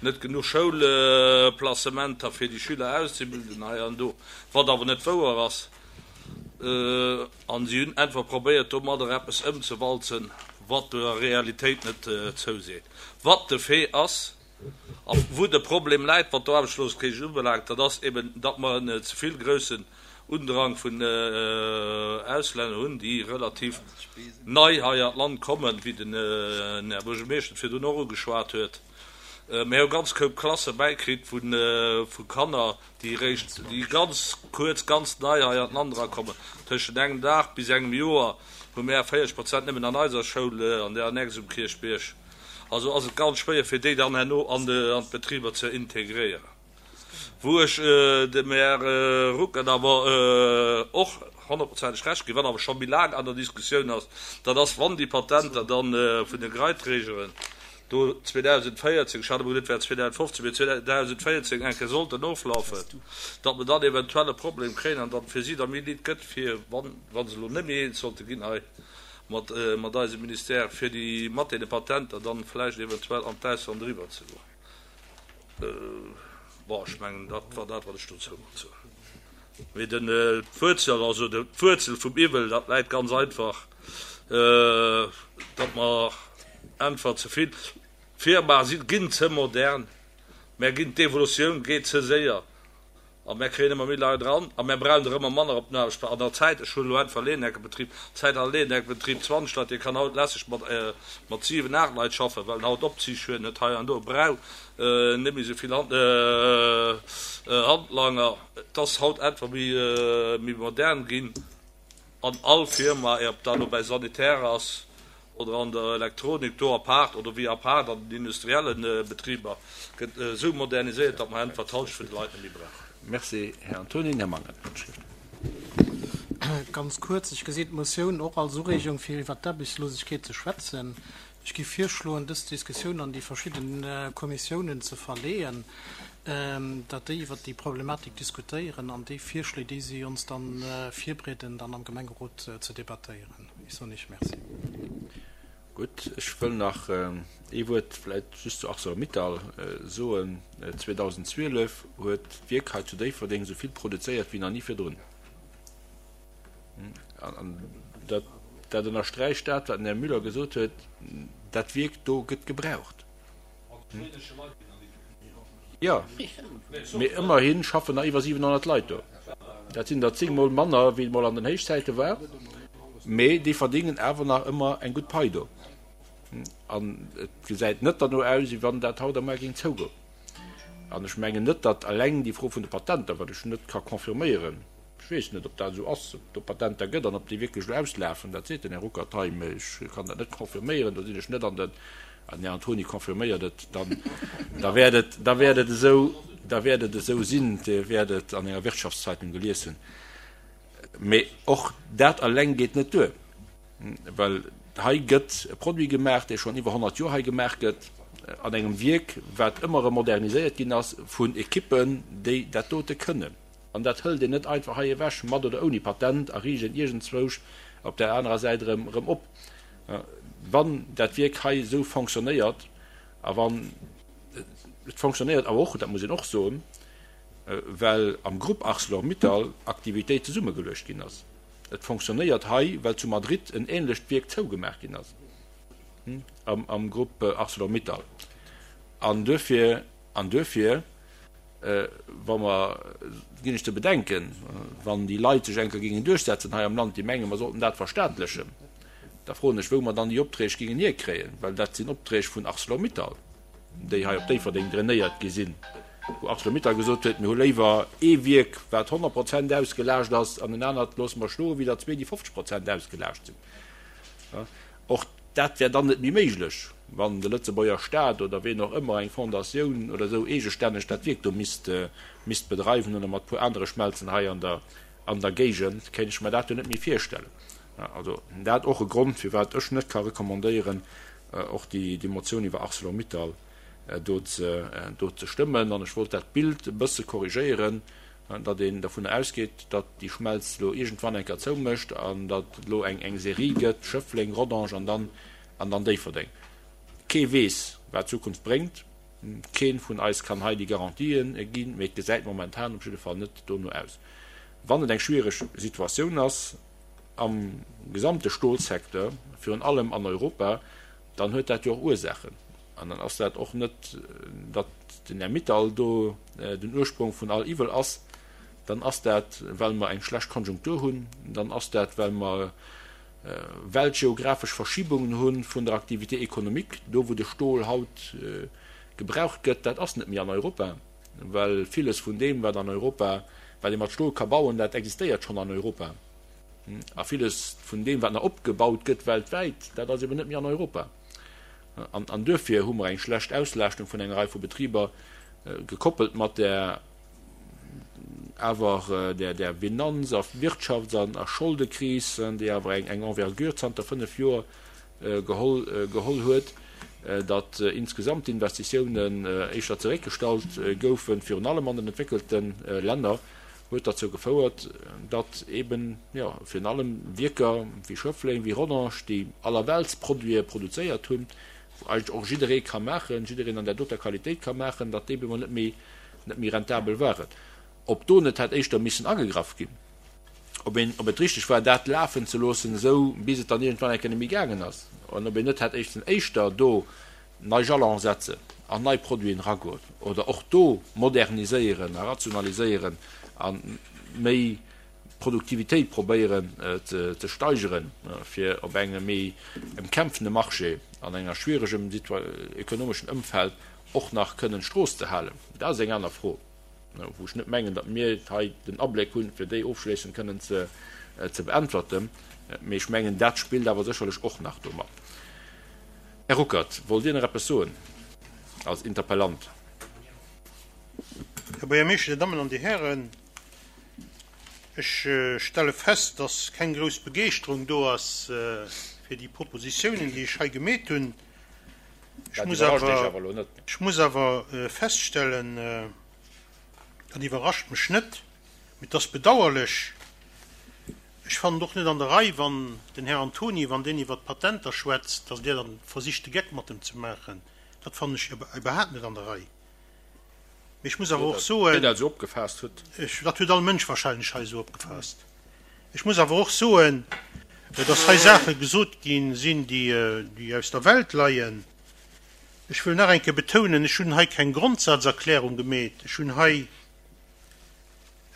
net genuch Schoulplacementer fir déi Schüler auszebilden hei an do, wat awer net wouer ass. An si hunn einfach probéiert domadder eppes ëmzewalzen, wat der Realitéit net zouseet. Wat de Fait ass a wou de Problem läit, wat d'Aarbechtslosegkeet ubelaangt, dat ass eben, datt mer en ze vill groussen Undrang vun Auslänner hunn, déi relativ nei hei an d'Land kommen, wéi den Här Buergermeeschter et virdrun och ugeschwat huet. Mir hu ganz Koup Klasse bäikritt vu Kanner, déi eréischt, déi ganz kuerz, ganz nei hei an d'Land erakommen. Tëschent engem Dag bis engem Joer hu mär véierzeg Prozent nëmmen an eiser Schoul an der Annexe um Kierchbierg. Also ass et ganz schwéier, fir déi dann herno an d'Betriber ze integréieren. Wou ech dem Här Ruckert awer och honnertprozenteg Recht ginn, wat awer scho méi laang an der Diskussioun ass, dat ass, wann déi Patenter da vun de Greiträgeren do zweedausendvéierzéng, ech hat emol gesot, et wär zweedausendfofzéng, mee zweedausendvéierzéng eng Kéier sollten oflafen, datt mer dann eventuell e Problem kréien an datt et fir si da méi Lidd gëtt, fir, wann, wa se elo net méi eens sollte ginn hei mat, mat eisem Ministère, fir déi mat deene Patenter dann vläicht eventuell an d'Ausland eriwwer ze goen. Bon, ech mengen, dat war dat, wat ech dozou wollt soen. Mee den, d'Wuerzel, also d'Wuerzel vum Iwwel, dat läit ganz einfach, datt mer einfach ze vill Firmae sinn, ginn ze modern, mär ginn, d'Evolutioun geet ze séier a mär kréien ëmmer méi Leit eran a mär brauchen der ëmmer manner op den Aarbechtsplaz. An der Zäit, ech hunn elo einfach Leenheckebetrib, Zäit hat e Leenheckebetrib zwanzeg Leit, dee kann haut lässeg mat, mat siwen, aacht Leit schaffen, well en haut Opzig huet, net hei an do brauch net méi esou vill Handlanger. Et ass haut einfach méi, méi modern ginn an all Firma, ob dat elo bäi Sanitär ass oder an der Elektronik do apaart oder wéi apaart an den industrielle Betriber, gëtt esou moderniséiert, datt mer einfach d'Halschent vun de Leit net méi brauchen. Merci, Här Antony. Här Mangen, Handschrift. Ganz kuerz, Ech gesinn d'Motioun och als Ureegung, fir iwwert d'Aarbechtslosegkeet ze schwätzen. Ech géif virschloen, dës Diskussioun an déi verschidde Kommissiounen ze verleeën, datt déi iwwert déi Problematik diskutéieren an déi Virschléi, déi si ons da virbrieden, dann am Gemengerot ze debattéieren. Ech soen Iech Merci. Gutt, ech wëll nach ee Wuert vläicht just zu Arcelor-Mittal soen. zweedausendzwielef huet d'Wierk hei zu Déifferdeng esou vill produzéiert wéi nach ni virdrun. An dat, dat ënnersträicht dat, wat den Här Müller gesot huet, Dat Wierk do gëtt gebraucht. Jo, mee ëmmerhi schaffen nach iwwer siwenhonnert Leit do. Dat sinn der zéng Mol manner, wéi et mol an den Héichzäite war, mee déi verdéngen awer nach ëmmer eng gutt Pai do. An et gesäit net derno aus, wéi wann dat haut a muer géing zougoen. An ech mengen net, datt eleng déi Fro vun de Patenter, wat ech net ka confirméieren, ech weess net, ob dat esou ass, ob et do Patenter gëtt an ob déi wierklech elo auslafen, dat seet den Här Ruckert hei, mee ech kann dat net confirméieren, do sinn ech net an den An den Här Antony confirméiert et, dann, da wäert et, da wäert et esou, da wäert et esou sinn, Dir wäert et an enger Wirtschaftszeitung gelies hunn. Mee och dat eleng geet net duer, well hei gëtt e Produit gemaach, dee schonn iwwer honnert Joer hei gemaach gëtt, an engem Wierk, wat ëmmer erëm moderniséiert ginn ass vun Ekippen, déi dat dote kënnen. An dat hëlt een net einfach hei ewech, mat oder ouni Patent, a riicht een iergendzwousch op där anerer Säit erëm erëm op. Wann dat Wierk hei esou fonctionnéiert, a wann et fonctionnéiert awer och, dat muss een och soen, well am Grupp Arcelor-Mittal Aktivitéit zesummegeluecht ginn ass. Et fonctionnéiert hei, well zu Madrid en ähnlecht Wierk zougemaach ginn ass am Grupp Arcelor-Mittal. An duerfir, an duerfir, wa mer, ginn ech ze bedenken, wann déi Leit sech eng Kéier géingen duerchsetzen hei am Land, déi mengen, mer sollten dat verstaatlechen, da froen ech, wou mer dann déi Opträg géingen hierkréien, well dat sinn Opträg vun Arcelor-Mittal, déi hei op Déifferdeng drainéiert gi sinn, wou Arcelor-Mittal gesot huet, mir hu léiwer ee Wierk, wat honnert Prozent ausgelaascht ass, an en anert loosse mer stoen, wéi der zwee, déi fofzeg Prozent ausgelaascht sinn. Och dat wär dann net méi méiglech, wann de Lëtzebuerger Staat oder ween och ëmmer, eng Fondatioun oder esou, eegestänneg dat Wierk do misst misst bedreiwen oder mat puer anere Schmelzen hei an der an der Géigend, kéint ech mer dat jo net méi virstellen. Also dat och e Grond, firwat ech net ka recommandéieren, och déi déi Motioun iwwer Arcelor-Mittal do ze do ze stëmmen. An ech wollt dat Bild e bësse korrigéieren, datt een dovunner ausgeet, datt déi Schmelz elo iergendwann eng Kéier zoumécht an datt et elo eng eng Serie gëtt, Schëffleng, Rodange an dann an dann Déifferdeng. Kee weess, wat d'Zukunft bréngt. Kee vun eis kann hei déi Garantien ginn, mee et gesäit momentan op jidde Fall net dono aus. Wann et eng schwiereg Situatioun ass am gesamte Stolsecteur, virun allem an Europa, dann huet dat jo och Ursaachen. An dann ass dat och net, datt den Här Mittal do den Ursprong vun all Iwwel ass. Dann ass dat, well mer eng schlecht Konjunktur hunn. Dann ass dat, well mer weltgeographesch Verschibungen hu vun der Activité économique. Do, wou de Stol haut gebraucht gëtt, dat ass net méi an Europa, well villes vun deem, wat an Europa, wat ee mat Stol ka bauen, dat existéiert schonn an Europa. A villes vun deem, wat nach opgebaut gëtt weltwäit, dat ass eben net méi an Europa. An, an duerfir hu mer eng schlecht Auslaaschtung vun enger Rei vu Betriber, gekoppelt mat där awer där, där Finanz a Wirtschafts an a Scholdekris, déi awer eng, eng Envergure zanter fënnef Joer geholl, geholl huet, datt insgesamt d'Investitiounen éischter zeréckgestallt goufen, virun allem an den entwéckelte Länner, huet derzou gefouert, datt eben, jo, virun allem Wierker wéi Schëffleng, wéi Rodange, déi Allerweltsproduite produzéiert hunn, wou eigentlech och jidderee ka maachen, jiddereen an där doter Qualitéit ka maachen, datt déi op eemol net méi, net méi rentabel waren. Ob do net hätt éischter missen agegraff ginn, ob een, ob et richteg war, dat lafen ze loossen, esou bis et dann iergendwann eng Kéier net méi gaangen ass, an ob een net hätt éischten éischter do nei Jalone setzen an nei Produiten eragoen oder och do moderniséieren a rationaliséieren a méi Produktivitéit probéieren ze steigeren, fir op engem méi ëmkämpfende Marché an enger schwieregem ökonomeschen Ëmfeld och nach kënnen d'Strooss ze halen. Dat ass eng aner Fro, wou ech net mengen, datt mir hei den Abléck hunn, fir déi ofschléissend kënnen ze beäntwerten. Mee ech mengen, dat spillt awer sécherlech och nach do mat. Här Ruckert, wollt Dir nach eppes soen als Interpellant? Här Buergermeeschter, Dir Dammen an Dir Hären, ech stelle fest, dass keng grouss Begeeschterung do ass fir déi Propositionen, déi ech hei gemeet hunn. Ech muss awer, ech muss awer feststellen, dat iwwerrascht mech net, mee et ass bedauerlech, Ech fannen et och net an der Rei, wann den Här Antony, wann deen iwwert d'Patenter schwätzt, datt Dir dann versicht de Geck mat em ze maachen. Dat fannen ech iwwerhaapt net an der Rei. Mee ech muss awer och soen, dat huet all Mënsch wahrscheinlech hei esou opgefaasst, ech muss awer och soen, datt hei Saache gesot gi sinn, déi aus der Welt leien. Ech wëll nach eng Kéier betounen, ech hunn hei keng Grondsazerklärung gemeet, ech hunn hei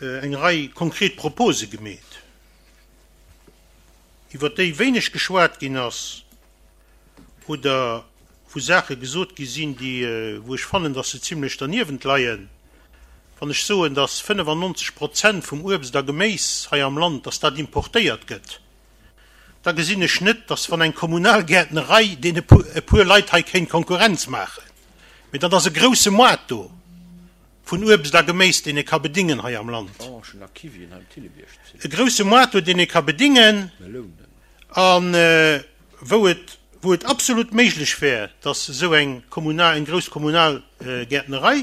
eng Rei konkret Propose gemeet, iwwer déi wéineg geschwat ginn ass oder wou Saache gesot gi sinn, déi, wou ech fannen, dass se zimlech derniewent leien. Wann ech soen, dass fënnefannonzeg Prozent vum Uebst a Geméis hei am Land, dass dat importéiert gëtt, da gesinn ech net, dass wann eng kommunal Gäertnerei deene e puer Leit hei kéint Konkurrenz maachen, mee dann ass e grouse Moart do. Vun Uebst a Geméis, deen ee ka bedingen hei am Land. E grouse Moart do, deen ee ka bedingen a wou et, wou et absolut méiglech wär, dass esou eng kommunal, eng grouss kommunal Gäertnerei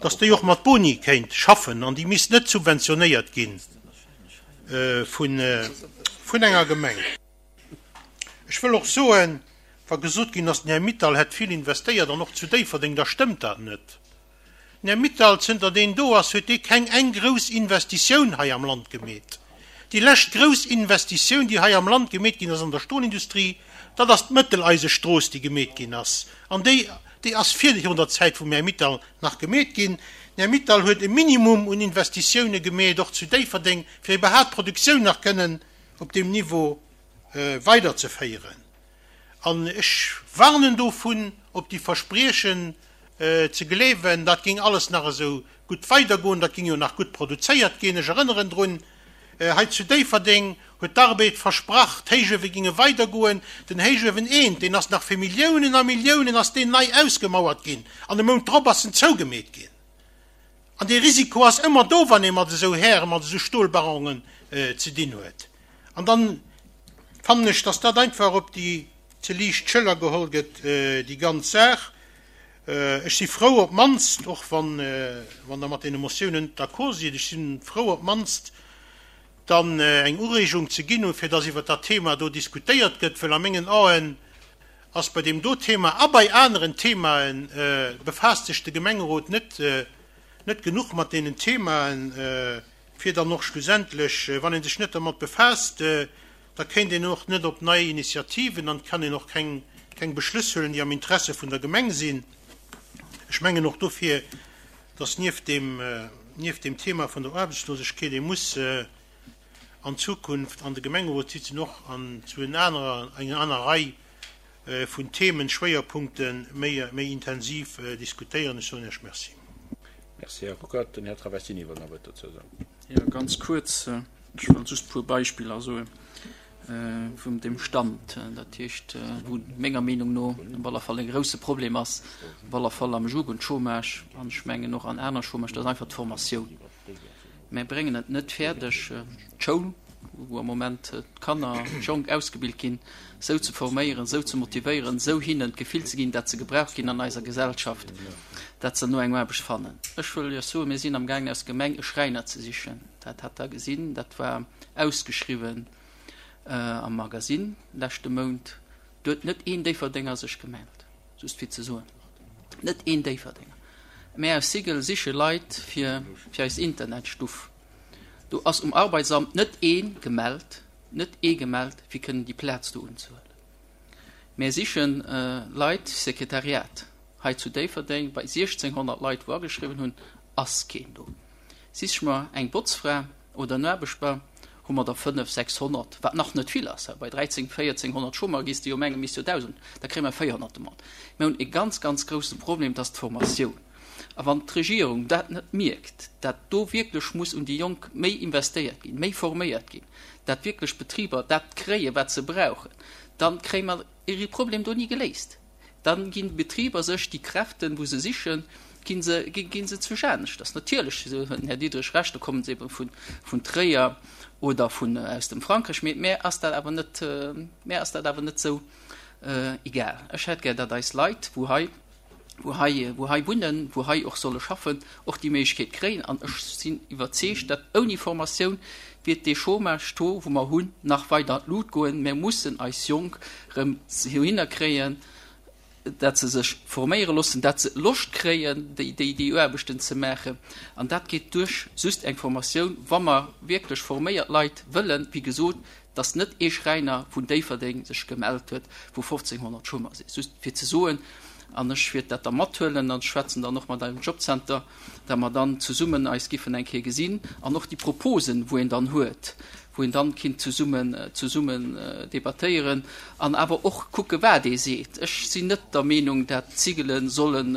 dass déi och mat Boni kéint schaffen an déi misst net subventionéiert gi vun vun enger Gemeng. Ech wëll och soen, wa gesot ginn ass, den Här Mittal hätt vill investéiert an och zu Déifferdeng, da stëmmt dat net. Den Här Mittal, zënter deen do ass, huet dee keng eng grouss Investitioun hei am Land gemeet. Déi lescht grouss Investitioun, déi hei am Land gemeet ginn ass an der Stolindustrie, dat ass d'Mëtteleisestrooss, déi gemeet ginn ass. An déi, déi ass virun der Zäit vum Här Mittal nach gemeet ginn. Den Här Mittal huet e Minimum un Investitioune gemeet, och zu Déifferdeng, fir iwwerhaapt d'Produktioun nach kënnen op deem Niveau weiderzeféieren. An ech warnen dovun, op déi Verspriechen ze gleewen, dat géing alles nach esou gutt weidergoen, dat géing jo nach gutt produzéiert ginn. Ech erënneren drun, hei zu Déifferdeng huet d'Arbed versprach, d'Héichuewe géinge weidergoen. Den Héichuewen eent, deen ass nach fir Milliounen a Milliounen ass deen nei ausgemauert ginn an e Mount drop ass en zougemeet ginn. An dee Risiko ass ëmmer do, wann ee mat esou Hären, mat esou Stolbaronen ze dinn huet. An dann fannen ech, dass dat einfach op déi ze liicht Schëller geholl gëtt, déi ganz Saach. Ech si frou op d'mannst, och wann Der mat deene Motiounen net d'accord sidd, ech si frou op d'mannst dann eng Ureegung ze ginn hunn, fir dass iwwert dat Thema do diskutéiert gëtt, well a mengen Aen ass bei deem do Thema a bei aneren Themae befaasst sech de Gemengerot net net genuch mat deenen Themaen, fir dann och schlussendlech, wann ee sech net dermat befaasst, da kéint een och net op nei Initiativen an kann een och keng keng Beschlëss huelen, déi am Interesse vun der Gemeng sinn. Ech mengen och dofir, dass nieft deem nieft deem Thema vun der Aarbechtslosegkeet ee muss an Zukunft an de Gemengerotssitzungen och an zu en anerer enger aner Rei vun Themen, Schwéierpunkte méi méi intensiv diskutéieren. Ech soen Iech Merci. Merci, Här Ruckert. Den Här Travestini wëll nach e Wuert dozou soen. Jo, ganz kuerz. Ech wëll just e puer Beispiller soe vum deem Stand. Dat heescht, wou menger Meenung no op alle Fall e grouse Problem ass, op alle Fall am Jugendchômage an ech mengen och an aner Chômage, dat ass einfach d'Formatioun. Mär bréngen et net fäerdeg, d'Schoul, wou am Moment d'Kanner, d'Jonk ausgebilt ginn, esou ze forméieren, esou ze motivéieren, esou hinnen d'Gefill ze ginn, dat se gebraucht ginn an eiser Gesellschaft, dat se no eng Aarbecht fannen. Ech wëll Iech soen, mir sinn amgaangen aus Gemeng e Schräiner ze sichen. Dat hat Der gesinn, dat war ausgeschriwwen am Magasinn leschte Mount. Do huet net een Déifferdenger sech gemellt, just fir ze soen, net een Déifferdenger. Mär aus Sigel siche Leit fir fir eis Internetstuff. Do ass um Arbeitsamt net ee gemellt, net ee gemellt, fir kënnen déi Plaz do unzehuelen. Mär siche Leit fir Sekretariat hei zu Déifferdeng. Bei siechzénghonnert Leit, wou ageschriwwen hunn, ass keen do. Siche mer eng Botzfra oder en Aarbechter, hu mer der fënnef, sechshonnert, wat nach net vill ass. Bei dräizéng, véierzénghonnert Chômeur gees de jo mengen, misst jo dausend, da kréie mer véierhonnert Demanden. Mir hunn e ganz, ganz grouse Problem, dat ass d'Formatioun. A wann d'Regierung dat net mierkt, dat do wierklech muss un déi Jonk méi investéiert ginn, méi forméiert ginn, dat wierklech d'Betriber dat kréien, wat se brauchen, da kréie mer e Problem do ni geléist. Da ginn d'Betriber sech déi Kräften, wou se sichen, gi se, gi se zu aneschters. Natierlech, esou huet den Här Diderich Recht, do kommen se ebe vun, vun Tréier oder vun, aus dem Frankräich, mee mär ass dat awer net, mär ass dat awer net esou egal. Ech hätt gär, datt eis Leit, wou hei, wou hei, wou hei wunnen, wou hei och solle schaffen, och déi Méiglechkeet kréien. An ech sinn iwwerzeegt, datt ouni Formatioun wiert dee Chômage-Taux, wou mer hunn, nach weider an d'Lut goen. Mär mussen eis Jonk erëm dohinner kréien, dat se sech forméiere loossen, dat se Loscht kréien, déi, déi, déi Aarbechten ze maachen. An dat geet duerch just eng Formatioun, wa mer wierklech forméiert Leit wëllen, wéi gesot, dass net ee Schräiner vun Déifferdeng sech gemellt huet, wou fofzénghonnert Chômeur sinn. Just fir ze soen, an ech wäert dat da mathuelen an schwätzen dann och mat eisem Jobcenter, dat mer dann zesummen eis giffen eng Kéier gesinn an och déi Proposen, wou een dann huet, wou een dann kinnt zesummen, zesummen debattéieren an awer och kucke wat ee seet. Ech sinn net der Meenung, dat d'Zigele sollen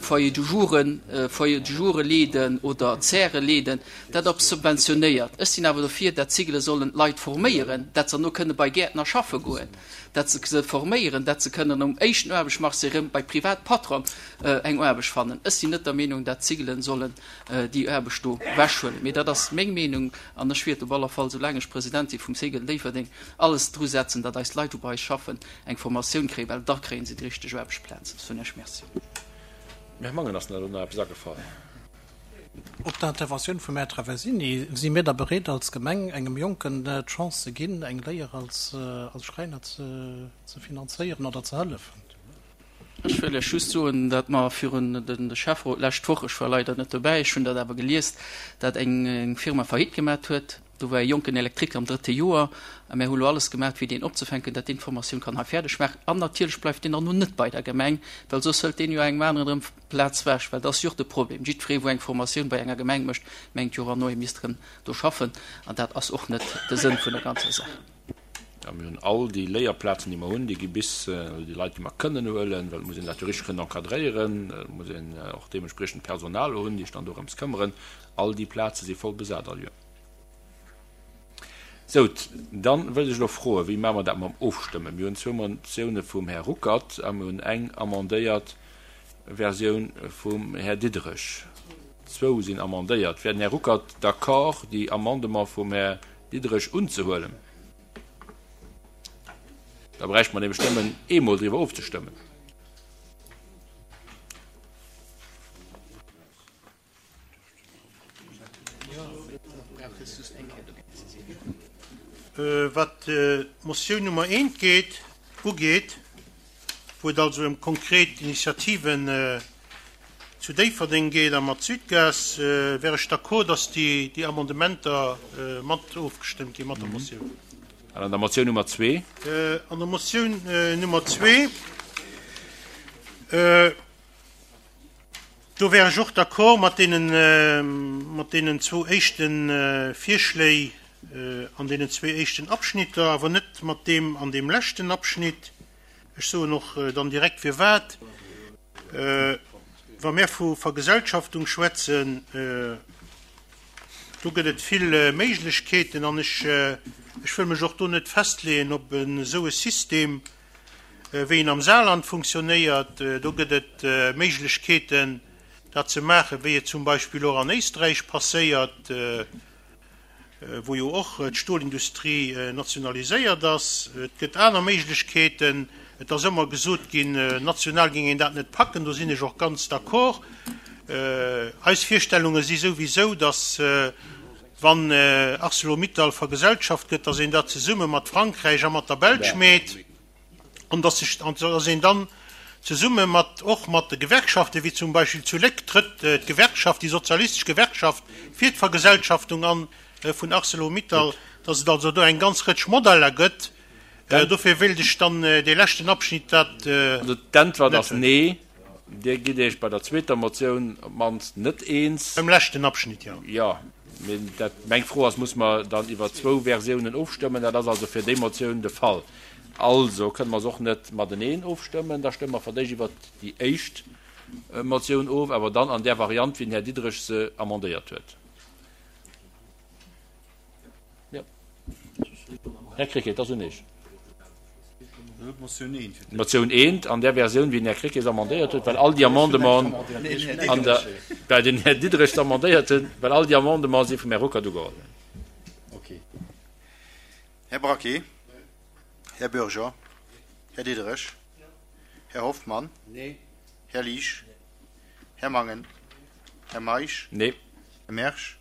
Foyer du jouren, Foyer du joure leeden oder Zäre leeden, dat op subventionéiert. Ech sinn awer dofir, dat d'Zigele sollen d'Leit forméieren, dat se herno kënne bei Gäertner schaffe goen, dat se se forméieren, dat se kënnen um éischten Aarbechtsmarché erëm bei Privatpatron eng Aarbecht fannen. Ech sinn net der Meenung, dat d'Zigelen sollen déi Aarbecht do ewechhuelen. Mee dat ass meng Meenung an ech wäert op aller Fall, soulaang ech President si vum Cegl Déifferdeng, alles drusetzen, datt eis Leit, wou bei eis schaffen, eng Formatioun kréien, well da kréie se déi richteg Aarbechtsplaz. Ech soen Iech Merci. Dem Här Mangen ass nach eppes agefall. Op der Interventioun vum Här Traversini, Si mir da bereet als Gemeng engem Jonken d'Chance ze ginn, eng Léier als Schräiner ze finanzéieren oder ze hëllefen? Ech wëll lech just soen, datt mer virun de Schäfferot d'lescht Woch, ech war leider net dobäi, ech hunn dat awer gelies, datt eng Firma Faillite gemat huet. Do war e jonken Elektriker am drëtte Joer a mär hu lo alles gemat, fir deen opzefänken, datt deen d'Formatioun kann hei fäerdeg maachen. An natierlech bleift deen dann no net bei der Gemeng, well soss hëlt deen jo engem aneren erëm d'Plaz wech, well dat ass jo och de Problem. Jiddweree, wou eng Formatioun bei enger Gemeng mécht, mengt jo erno, e misst erëm do schaffen. An dat ass och net de Sënn vun der ganzer Saach. A mir hunn all déi Léierplazen, déi mer hunn, déi gi bis, also déi Leit, déi mer kënnen huelen, well et muss een dat jo richteg kënnen encadréieren, et muss een och deementspriechend Personal hunn, déi sech dann dorëms këmmeren, all déi Plaze si voll besat all Joer. Sou, dann wëllt ech elo froen, wéi maache mer dat mam Ofstëmmen? Mir hunn zwou Motioune vum Här Ruckert a mir hunn eng amendéiert Versioun vum Här Diderich. Zwou sinn amendéiert. Wär den Här Ruckert d'accord, déi Amendement vum Här Diderich unzehuelen? Da bräichte mer nämlech nëmmen eemol driwwer ofzestëmmen. Wat d'Motioun Nummer eent geet, ugeet, wou et also ëm konkret Initiativen zu Déifferdeng geet a mat Sudgaz, wär ech d'accord, dass déi Amendementer mat ofgestëmmt gi mat der Motioun. An an der Motioun Nummer zwee? An der Motioun Nummer zwee. Do wär ech och d'accord mat deenen, mat deenen zwou éischte Virschléi an deenen zwee éischten Abschnitter, awer net mat deem an deem leschten Abschnitt. Ech soen och dann direkt firwat. Wa mir vu Vergesellschaftung schwätzen, do gëtt et vill Méiglechkeeten an ech, ech wëll mech och do net festleeën op esou e System, wéi en am Saarland funktionéiert. Do gëtt et Méiglechkeeten, dat ze maachen, wéi et zum Beispill och an Éisträich passéiert, wou jo och d'Stolindustrie nationaliséiert ass. Et gëtt aner Méiglechkeeten. Et ass ëmmer gesot ginn, national géing een dat net packen. Do sinn ech och ganz d'accord. Eis Virstellunge si souwisou, datt, wann Arcelor-Mittal vergesellschaft gëtt, datt een dat zesumme mat Frankräich a mat der Belsch meet. An dass sech, an dass een dann zesumme mat, och mat de Gewerkschaften, wéi zum Beispill zu Léck trëtt d'Gewerkschaft, déi sozialistesch Gewerkschaft fir d'Vergesellschaftung an vun Arcelor-Mittal, dass et also do eng ganz Rëtsch Modeller gëtt. Dofir wéilt ech dann dee leschten Abschnitt dat Also d'Äntwert net ass hunn. Nee. Dir gitt Iech bei der zweeter Motioun op d'mannst net eens. Beim leschten Abschnitt, jo. Jo, mee dat, meng Fro ass, Muss mer dann iwwer zwou Versiounen ofstëmmen? Dat ass also fir déi Motioun de Fall. Also kënne mer se och net mateneen ofstëmmen. Da stëmme mer fir d'éischt iwwert déi éischt Motioun of, awer dann an där Variant, wéi den Här Diderich se amendéiert huet. Jo. Här Krecké, et ass un Iech. D'Motioun eent an där Versioun, wéi den Här Krecké se amendéiert huet, well all déi Amendementen an der, well den Här Diderich se amendéiert huet, well all déi Amendementen si vum Här Ruckert ugeholl. Här Braquet. Här Bürger. Här Diderich. Här Hoffmann. Här Liesch. Här Mangen. Här Meisch. Nee. Här Mersch.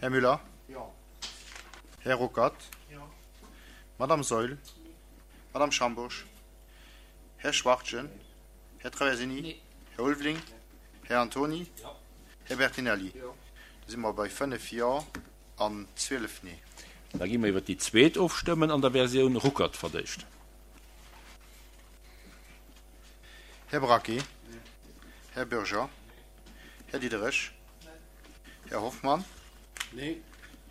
Här Müller. Här Ruckert. Madame Saeul. Madame Schambourg. Här Schwachtgen. Här Traversini. Här Ulveling. Här Antony. Här Bertinelli. Da si mer bei fënnef Jo an zwielef Nee. Da gi mer iwwer déi zweet ofstëmmen an der Versioun Ruckert verdéischt. Här Braquet. Här Bürger. Här Diderich. Här Hoffmann.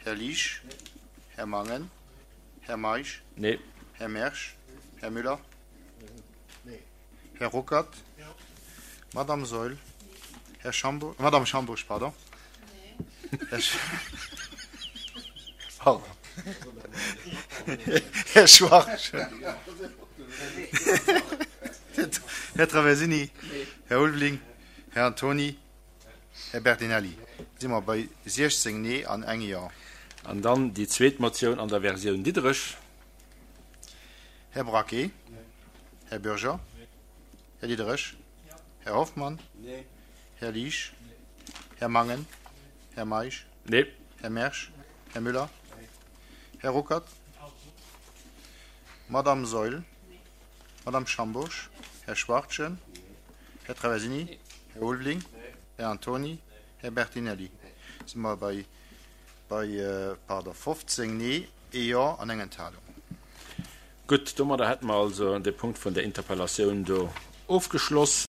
Här Liesch. Här Mangen. Här Meisch. Nee. Här Mersch. Här Müller. Här Ruckert. Madame Saeul. Här Schambourg, Madame Schambourg, pardon. Här Sch pardon. Här Schwachtgen. Här Traversini. Här Ulveling. Här Antony. Här Bertinelli. Si mer bei siechzéng Nee an eng Jo. An dann déi zweet Motioun an der Versioun Diderich. Här Braquet. Här Bürger. Här Diderich. Här Hoffmann? Nee. Här Liesch? Nee. Här Mangen? Nee. Här Meisch? Nee. Här Mersch? Nee. Här Müller? Nee. Här Ruckert? Madame Seul? Nee. Madame Schambourg? Här Schwartjen? Nee. Här Traversini? Nee. Här Ulveling? Nee. Här Antoni? Nee. Här Bertinelli? Nee. Si mer bei, bei pardon, fofzéng Nee, ee Jo an eng Enthalung. Gutt, domadder hätte mer also de Punkt vun der Interpellatioun do ofgeschloss.